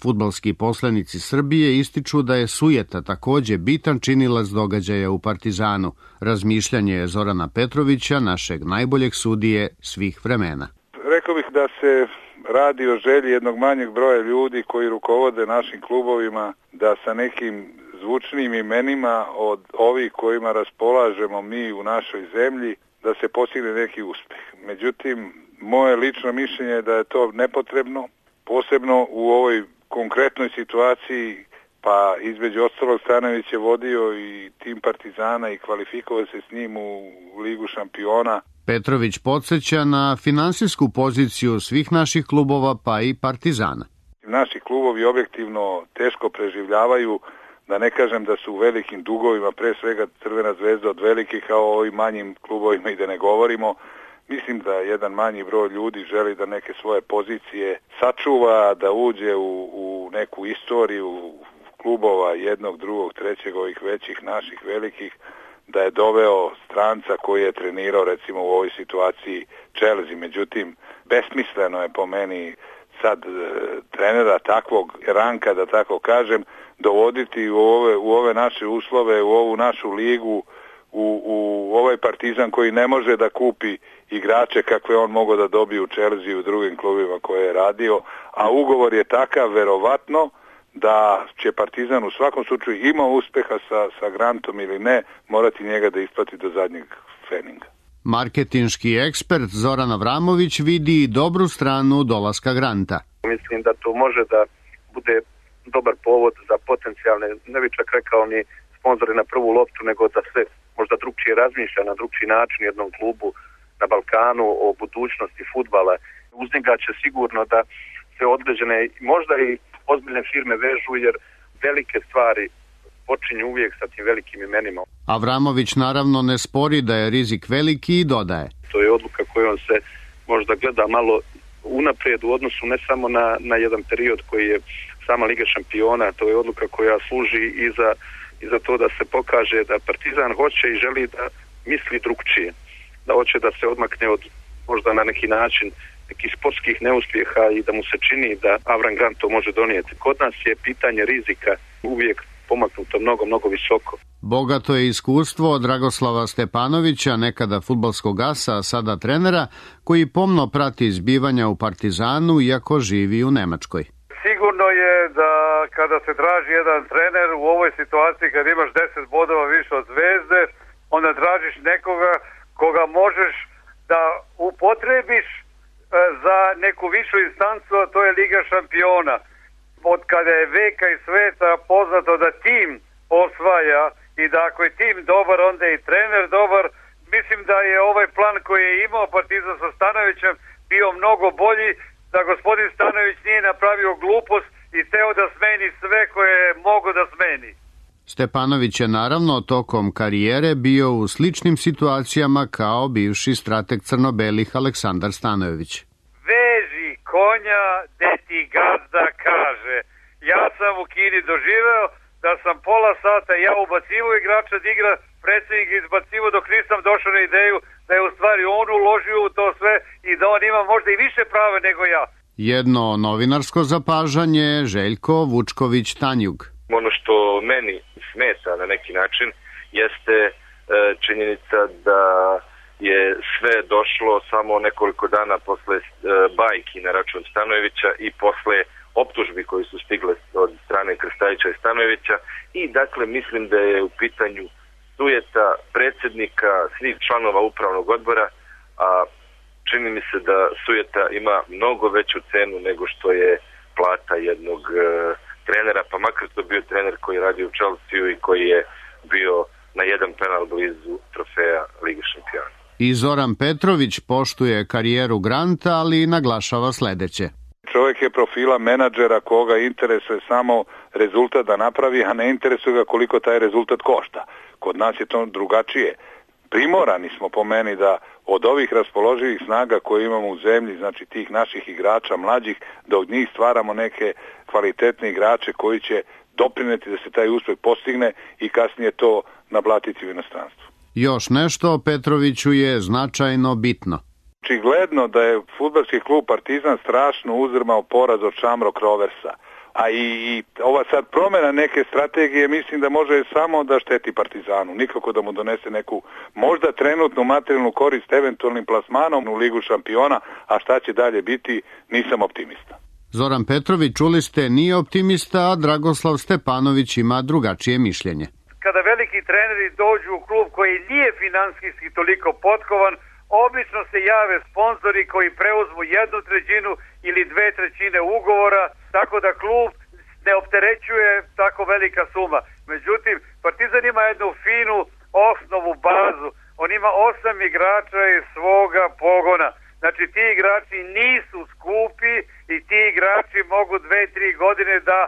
D: Fudbalski poslanici Srbije ističu da je sujeta takođe bitan činilac događaja u Partizanu. Razmišljanje je Zorana Petrovića, našeg najboljeg sudije svih vremena.
E: Rekao bih da se radi o želji jednog manjeg broja ljudi koji rukovode našim klubovima, da sa nekim zvučnim imenima od ovih kojima raspolažemo mi u našoj zemlji, da se postigne neki uspeh. Međutim, moje lično mišljenje je da je to nepotrebno, posebno u ovoj konkretnoj situaciji, pa između ostalog Stanojević je vodio i tim Partizana i kvalifikovao se s njim u Ligu šampiona.
D: Petrović podsjeća na finansijsku poziciju svih naših klubova, pa i Partizana.
E: Naši klubovi objektivno teško preživljavaju, da ne kažem da su u velikim dugovima, pre svega Crvena zvezda od velikih, a o ovim manjim klubovima i da ne govorimo. Mislim da jedan manji broj ljudi želi da neke svoje pozicije sačuva, da uđe u, u neku istoriju klubova jednog, drugog, trećeg, ovih većih, naših velikih, da je doveo stranca koji je trenirao recimo u ovoj situaciji Chelsea. Međutim, besmisleno je po meni sad e, trenera takvog ranka, da tako kažem, dovoditi u ove, u ove naše uslove, u ovu našu ligu, u, u ovaj Partizan koji ne može da kupi igrače kakve on mogao da dobije u Chelsea i u drugim klubima koje je radio, a ugovor je takav verovatno da će Partizan u svakom slučaju ima uspeha sa, sa Grantom ili ne, morati njega da isplati do zadnjeg feninga.
D: Marketinški ekspert Zoran Avramović vidi dobru stranu dolaska Granta.
F: Mislim da to može da bude dobar povod za potencijalne, ne bi čak rekao ni sponzore na prvu loptu, nego da se možda drugčije razmišlja na drugčiji način jednom klubu na Balkanu o budućnosti fudbala. Uz njega će sigurno da se određene, možda i ozbiljne firme vežu, jer velike stvari počinju uvijek sa tim velikim imenima.
D: Avramović naravno ne spori da je rizik veliki i dodaje.
F: To je odluka kojom se možda gleda malo unaprijed u odnosu ne samo na, na jedan period koji je sama Liga šampiona, to je odluka koja služi i za, i za to da se pokaže da Partizan hoće i želi da misli drugčije, da hoće da se odmakne od možda na neki način nekih sportskih neuspjeha i da mu se čini da Avram Grant to može donijeti. Kod nas je pitanje rizika uvijek pomaknuto mnogo, mnogo visoko.
D: Bogato je iskustvo Dragoslava Stepanovića, nekada fudbalskog asa, a sada trenera, koji pomno prati zbivanja u Partizanu, iako živi u Nemačkoj.
G: Sigurno je da kada se traži jedan trener u ovoj situaciji, kad imaš deset bodova više od Zvezde, onda tražiš nekoga koga možeš da upotrebiš za neku višu instancu, a to je Liga šampiona. Od kada je veka i sveta poznato da tim osvaja i da ako je tim dobar, onda je i trener dobar. Mislim da je ovaj plan koji je imao Partizan sa Stanovićem bio mnogo bolji, da gospodin Stanović nije napravio glupost i teo da smeni sve koje je mogo da smeni.
D: Stepanović je naravno tokom karijere bio u sličnim situacijama kao bivši strateg crno-belih Aleksandar Stanojević.
G: Veži konja gde ti gazda kaže. Ja sam u Kini doživeo da sam pola sata ja ubacivo igrača da igra, predsjednik izbacivo dok nisam došao na ideju da je u stvari on uložio u to sve i da on ima možda i više prava nego ja.
D: Jedno novinarsko zapažanje, Željko Vučković-Tanjug.
F: Ono što meni smeta na neki način jeste e, činjenica da je sve došlo samo nekoliko dana posle e, bajki na račun Stanojevića i posle optužbi koji su stigle od strane Krstajića i Stanojevića i dakle mislim da je u pitanju sujeta predsjednika, svih članova upravnog odbora, a čini mi se da sujeta ima mnogo veću cenu nego što je plata jednog e, trenera, pa makar to bio trener koji radi u Chelsea i koji je bio na jedan penal blizu trofeja Lige šampiona.
D: I Zoran Petrović poštuje karijeru Granta, ali naglašava sledeće.
E: Čovjek je profila menadžera koga interesuje samo rezultat da napravi, a ne interesuje ga koliko taj rezultat košta. Kod nas je to drugačije. Primorani smo po meni da od ovih raspoloživih snaga koje imamo u zemlji, znači tih naših igrača mlađih, da od njih stvaramo neke kvalitetne igrače koji će doprineti da se taj uspeh postigne i kasnije to naplatiti u inostranstvu.
D: Još nešto Petroviću je značajno bitno.
E: Očigledno da je fudbalski klub Partizan strašno uzdrmao poraz od Shamrock Roversa. A i, i ova sad promjena neke strategije mislim da može samo da šteti Partizanu, nikako da mu donese neku možda trenutnu materijalnu korist eventualnim plasmanom u Ligu šampiona, a šta će dalje biti, nisam optimista.
D: Zoran Petrović, čuli ste, nije optimista, a Dragoslav Stepanović ima drugačije mišljenje.
G: Kada veliki treneri dođu u klub koji nije finansijski toliko potkovan, obično se jave sponzori koji preuzmu jednu trećinu ili dve trećine ugovora, tako da klub ne opterećuje tako velika suma. Međutim, Partizan ima jednu finu osnovu bazu. On ima osam igrača iz svoga pogona. Znači ti igrači nisu skupi i ti igrači mogu dve, tri godine da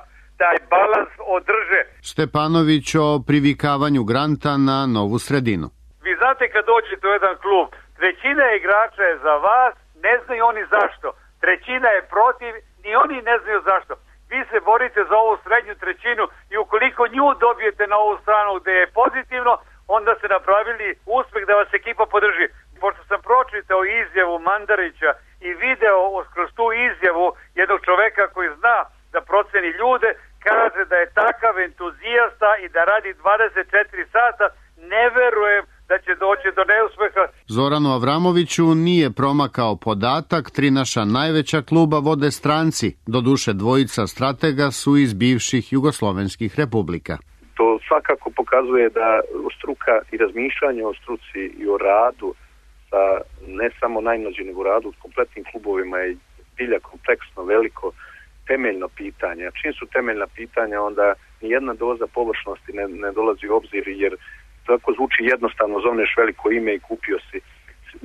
G: taj balans održe.
D: Stepanović o privikavanju Granta na novu sredinu.
G: Vi znate kad dođete u jedan klub, trećina igrača je za vas, ne znaju oni zašto. Trećina je protiv, ni oni ne znaju zašto. Vi se borite za ovu srednju trećinu i ukoliko nju dobijete na ovu stranu gde je pozitivno, onda ste napravili uspeh da vas ekipa podrži. Pošto sam pročitao izjavu Mandarića i video kroz tu izjavu jednog čoveka koji zna da proceni ljude, kaže da je takav entuzijasta i da radi dvadeset četiri sata, ne verujem da će doći do neuspeha.
D: Zoranu Avramoviću nije promakao podatak, tri naša najveća kluba vode stranci, doduše dvojica stratega su iz bivših jugoslovenskih republika.
H: To svakako pokazuje da struka i razmišljanje o struci i o radu, sa ne samo najmlađi nego radu u kompletnim klubovima je bilja kompleksno, veliko, temeljno pitanje. A čim su temeljna pitanja, onda nijedna doza površnosti ne, ne dolazi u obzir, jer tako zvuči jednostavno, zovneš veliko ime i kupio si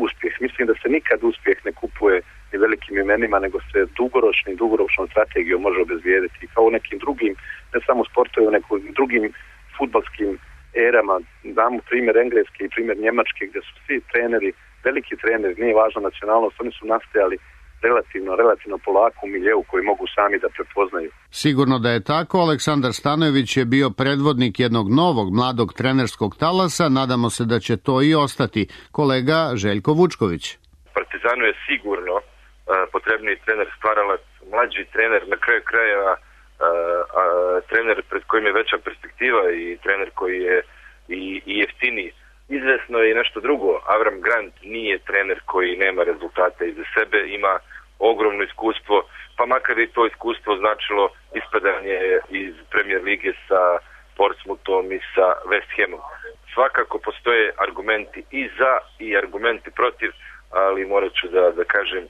H: uspjeh. Mislim da se nikad uspjeh ne kupuje ni velikim imenima, nego se dugoročni, dugoročnom strategijom može obezvijediti. Kao u nekim drugim, ne samo sportovima, nego u drugim fudbalskim erama. Damo primjer Engleske i primjer Njemačke, gdje su svi treneri, veliki treneri, nije važno nacionalnost, oni su nastajali relativno, relativno polako u miljeu koji mogu sami da prepoznaju.
D: Sigurno da je tako, Aleksandar Stanojević je bio predvodnik jednog novog mladog trenerskog talasa, nadamo se da će to i ostati. Kolega Željko Vučković.
F: Partizanu je sigurno uh, potrebniji trener stvaralac, mlađi trener, na kraju krajeva uh, uh, trener pred kojim je veća perspektiva i trener koji je i, i jeftiniji. Izvesno je nešto drugo. Avram Grant nije trener koji nema rezultata iza sebe, ima ogromno iskustvo, pa makar i to iskustvo značilo ispadanje iz Premier lige sa Portsmouthom i sa West Hamom. Svakako postoje argumenti i za i argumenti protiv, ali morat ću da, da kažem,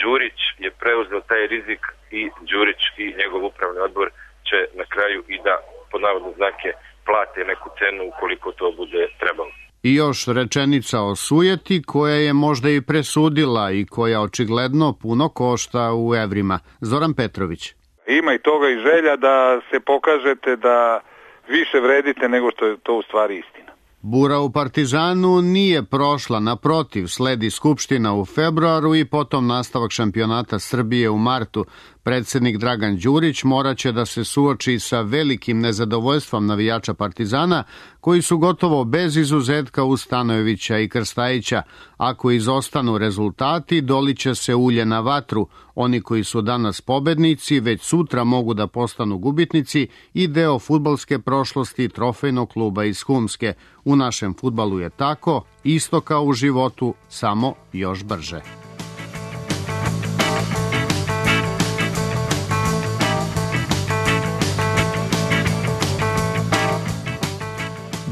F: Đurić je preuzeo taj rizik i Đurić i njegov upravni odbor će na kraju i da, pod navodne znake, plate neku cenu ukoliko to bude trebalo.
D: I još rečenica o sujeti koja je možda i presudila i koja očigledno puno košta u evrima. Zoran Petrović.
E: Ima i toga i želja da se pokažete da više vredite nego što je to u stvari istina.
D: Bura u Partizanu nije prošla, naprotiv, sledi skupština u februaru i potom nastavak šampionata Srbije u martu. Predsjednik Dragan Đurić moraće da se suoči sa velikim nezadovoljstvom navijača Partizana, koji su gotovo bez izuzetka uz Stanojevića i Krstajića. Ako izostanu rezultati, doliće se ulje na vatru. Oni koji su danas pobednici, već sutra mogu da postanu gubitnici i deo fudbalske prošlosti trofejnog kluba iz Humske. U našem fudbalu je tako, isto kao u životu, samo još brže.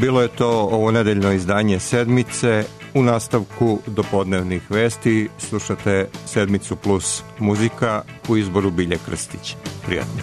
B: Bilo je to ovo nedeljno izdanje Sedmice. U nastavku dopodnevnih vesti slušate Sedmicu plus muzika u izboru Bilje Krstić. Prijatno.